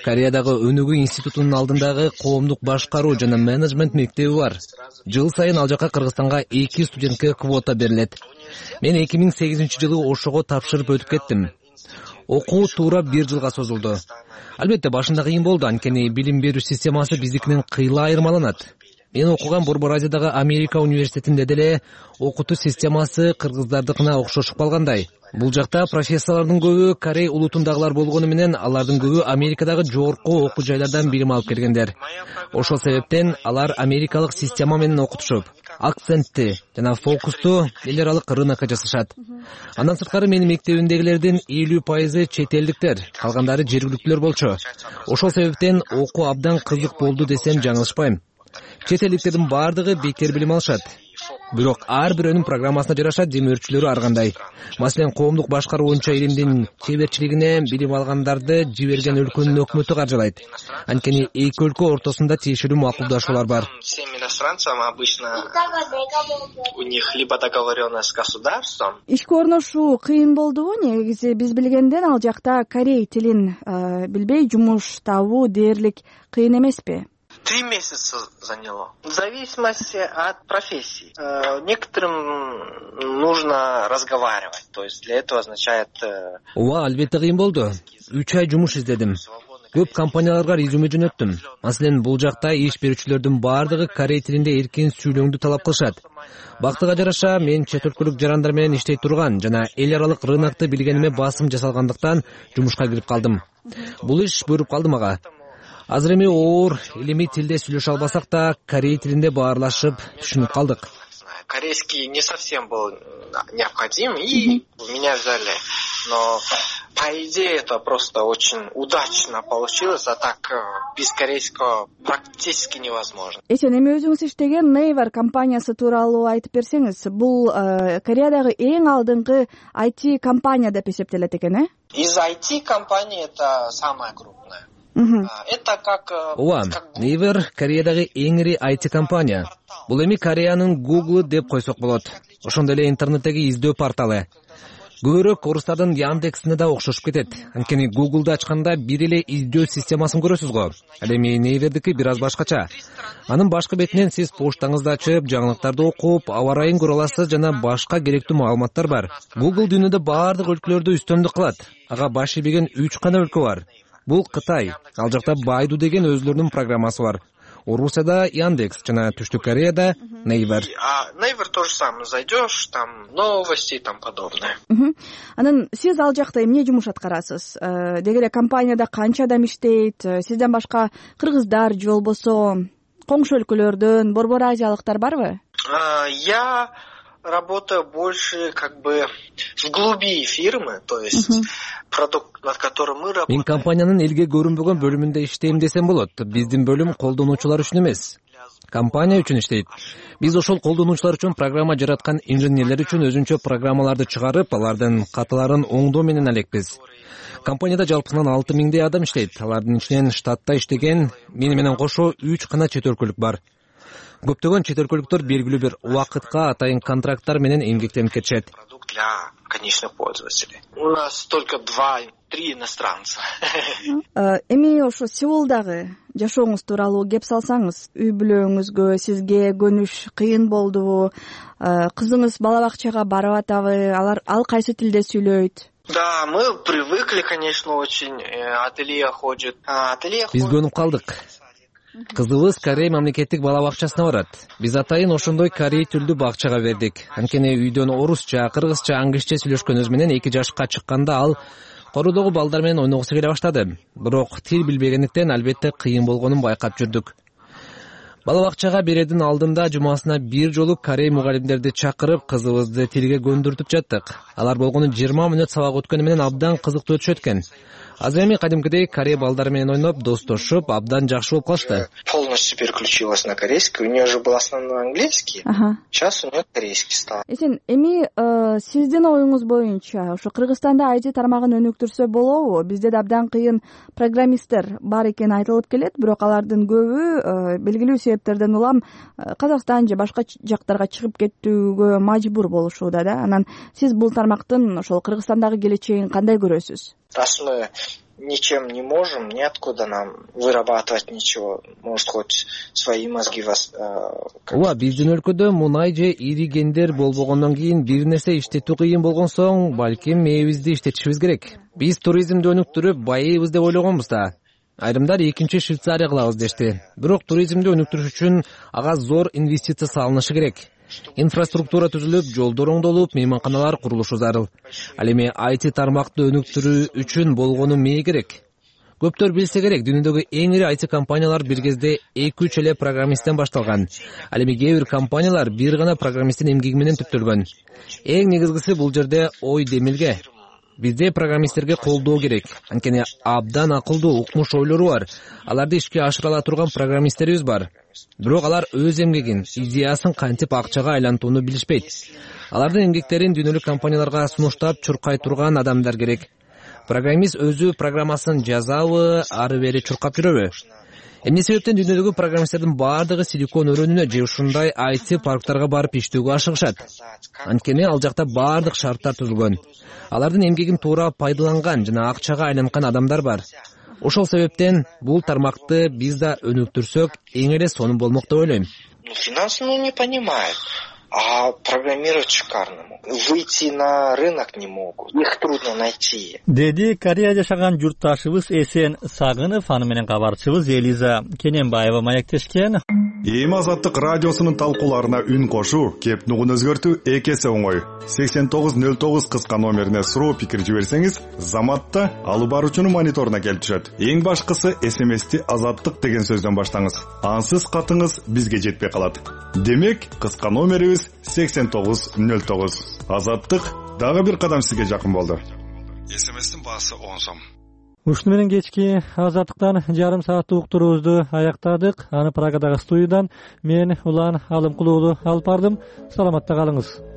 Кореядагы Өнүгүү институтунун алдындагы коомдук башкаруу жана менеджмент мектеби бар. Жыл сайын ал жака Кыргызстанга 2 студентке квота берилет. Мен 2008-жылы ошого тапшырып өтүп кеттим. Окуу туура 1 жылга созулду. Албетте башында кыйын болду, анткени билим берүү системасы биздикинен кыйла айырмаланат. Мен окуган Борбор Азиядагы Америка университетинде деле окутуу системасы кыргыздардыкына окшошуп калгандай. Бул жакта профессорлордун көбү Корей улутундагылар болгону менен алардын көбү Америкадагы жогорку окуу жайлардан билим алып келгендер. Ошол себептен алар америкалык система менен окутушуп, акцентти жана фокусту эл аралык рынокко жасашат. Андан сырткары менин мектебимдегилердин 50% чет элдиктер, калгандары жергиликтүүлөр болчу. Ошол себептен окуу абдан кызык болду десем жаңылышпайм. Чет элдиктердин баардыгы бекер билим алышат. Бирок ар бирөөнүн программасына жараша демөөрчүлөрү ар кандай. Маселен, коомдук башкаруу боюнча илимдин чеберчилигине билим алгандарды жиберген өлкөнүн өкмөтү каржылайт. Анткени эки өлкө ортосунда тиешелүү макулдашуулар бар. Всем иностранцам обычно у них либо договоренность с государством. Ишке орношуу кыйын болдубу? Негизи биз билгенден ал жакта корей тилин билбей жумуш табуу дээрлик кыйын эмеспи? 3 месяца заняло. В зависимости от профессии. Некоторым нужно разговаривать. То есть для этого означает... Ооба, албетте кыйын болду. 3 ай жумуш издедим. Көп компанияларга резюме жөнөттүм. Маселен, бул жакта иш берүүчүлөрдүн баардыгы корей тилинде эркин сүйлөөңдү талап кылышат. Бактыга жараша мен чет өлкөлүк жарандар менен иштей турган жана эл аралык рынокты билгениме басым жасалгандыктан жумушка кирип калдым. Бул иш буйруп калды мага. Азыр эми оор илимий тилде сүйлөшө албасак да, корей тилинде баарлашып түшүнүп калдык. Корейский не совсем был необходим, и меня взяли. Но, по идее, это просто очень удачно получилось, а так без корейского практически невозможно. Эсен, эми өзүңүз иштеген Naver компаниясы тууралуу айтып берсеңиз, бул Кореядагы эң алдыңкы IT компания деп эсептелет экен, э? Из IT компании это самая крупная. Это как... Ооба, Naver Кореядагы эң ири IT компания. Бул эми Кореянын Google деп койсок болот. Ошондой эле интернеттеги издөө порталы. Көбүрөөк орустардын Яндексине да окшошуп кетет. Анткени Google'ду ачканда бир эле издөө системасын көрөсүз го. Ал эми Naver'дики бир аз башкача. Анын башкы бетинен сиз поштаңызды ачып, жаңылыктарды окуп, аба ырайын көрө аласыз жана башка керектүү маалыматтар бар. Google дүйнөдө баардык өлкөлөрдү үстөмдүк кылат. Ага баш ийбеген 3 гана өлкө бар. Бул Кытай. Ал жакта Baidu деген өзлөрүнүн программасы бар. Орусияда Яндекс жана Түштүк Кореяда Naver. А Naver то же самое. Зайдешь, там новости и там подобное. Анан сиз ал жакта эмне жумуш аткарасыз? Деги эле компанияда канча адам иштейт? Сизден башка кыргыздар же болбосо коңшу өлкөлөрдөн Борбор Азиялыктар барбы? Я работаю больше как бы в глуби фирмы, то есть продукт, над которым мы работаем. Мен компаниянын элге көрүнбөгөн бөлүмүндө иштейм десем болот. Биздин бөлүм колдонуучулар үчүн эмес, компания үчүн иштейт. Биз ошол колдонуучулар үчүн программа жараткан инженерлер үчүн өзүнчө программаларды чыгарып, алардын каталарын оңдоо менен элекпиз. Компанияда жалпысынан 6000 адам иштейт. Алардын ичинен штатта иштеген мени менен кошо 3 гана чет өлкөлүк бар. Көптөгөн чет өлкөлүктөр белгилүү бир убакытка атайын контракттар менен эмгектенип кетишет. Продукт для конечных пользователей. У нас только 2-3 иностранца. Эми ошо Сеулдагы жашооңуз тууралуу кеп салсаңыз, үй бүлөңүзгө, сизге көнүш кыйын болдубу? Кызыңыз бала бакчага барып атабы? Ал кайсы тилде сүйлөйт? Да, мы привыкли, конечно, очень. Ателье ходит. Биз көнүп калдык. Кызыбыз Корей мамлекеттик бала бакчасына барат. Биз атайын ошондой корей тилдүү бакчага бердик. Анткени үйдөн орусча, кыргызча, англисче сүйлөшкөнүбүз менен 2 жашка чыкканда ал корудогу балдар менен ойногусу келе баштады. Бирок тил билбегендиктен албетте кыйын болгонун байкап жүрдүк. Бала бакчага берердин алдында жумасына 1 жолу корей мугалимдерди чакырып, кызыбызды тилге көндүртүп жаттык. Алар болгону 20 мүнөт сабак өткөнү менен абдан кызыктуу өтүшөт экен. Азыр эми кадимкидей корей балдары менен ойноп, достошуп, абдан жакшы болуп калышты. Полностью переключилась на корейский. У нее же был основной английский. Сейчас у нее корейский стал. Эсен, эми сиздин оюңуз боюнча, ошо Кыргызстанда IT тармагын өнүктүрсө болобу? Бизде да абдан кыйын программисттер бар экени айтылып келет, бирок алардын көбү белгилүү себептерден улам Казакстан же башка жактарга чыгып кетүүгө мажбур болушууда да. Анан сиз бул тармактын ошол Кыргызстандагы келечегин кандай көрөсүз? Раз мы ничем не можем, неоткуда нам вырабатывать ничего. Может, хоть свои мозги ооба, биздин өлкөдө мунай же ири кендер болбогондон кийин бир нерсе иштетүү кыйын болгон соң, балким мээбизди иштетишибиз керек. Биз туризмди өнүктүрүп байыйбыз деп ойлогонбуз да. Айрымдар экинчи Швейцария кылабыз дешти. Бирок туризмди өнүктүрүш үчүн ага зор инвестиция салынышы керек. Инфраструктура түзүлүп, жолдор оңдолуп, мейманканалар курулушу зарыл. Ал эми IT тармакты өнүктүрүү үчүн болгону мээ керек. Көптөр билсе керек, дүйнөдөгү эң ири IT компаниялар бир кезде 2-3 эле программисттен башталган. Ал эми кээ бир компаниялар бир гана программисттин эмгеги менен түптөлгөн. Эң негизгиси бул жерде ой демилге. Бизде программисттерге колдоо керек. Анткени абдан акылдуу, укмуш ойлору бар. Аларды ишке ашыра ала турган программисттерибиз бар. Бирок алар өз эмгегин, идеясын кантип акчага айлантууну билишпейт. Алардын эмгектерин дүйнөлүк компанияларга сунуштап чуркай турган адамдар керек. Программист өзү программасын жазабы, ары бери чуркап жүрөбү? Эмне себептен дүйнөдөгү программисттердин баардыгы Силикон өрөөнүнө же ушундай IT парктарга барып иштөөгө ашыгышат? Анткени ал жакта баардык шарттар түзүлгөн. Алардын эмгегин туура пайдаланган жана акчага айланткан адамдар бар. Ошол себептен бул тармакты биз да өнүктүрсөк, эң эле сонун болмок деп ойлойм. Финансы не понимают, а программировать шикарно. Выйти на рынок не могут. Их трудно найти. Деди Корея жашаган журтташыбыз Эсен Сагынов, аны менен кабарчыбыз Элиза Кененбаева маектешкен. Эми Азаттык радиосунун талкууларына үн кошуу, кеп нугун өзгөртүү эки эсе оңой. 8909 кыска номерине суроо пикир жиберсеңиз, Заматта алып баруучунун мониторуна келип түшөт. Эң башкысы SMS-ти Азаттык деген сөздөн баштаңыз. Ансыз катыңыз бизге жетпей калат. Демек, кыска номерибиз 8909. Азаттык дагы бир кадам сизге жакын болду. SMS-тин баасы 10 сом. Ушуну менен кечки Азаттыктан жарым сааттык уктуруубузду аяктадык. Аны Прагадагы студиядан мен Улан Алымкулуулу алып бардым. Саламатта калыңыз.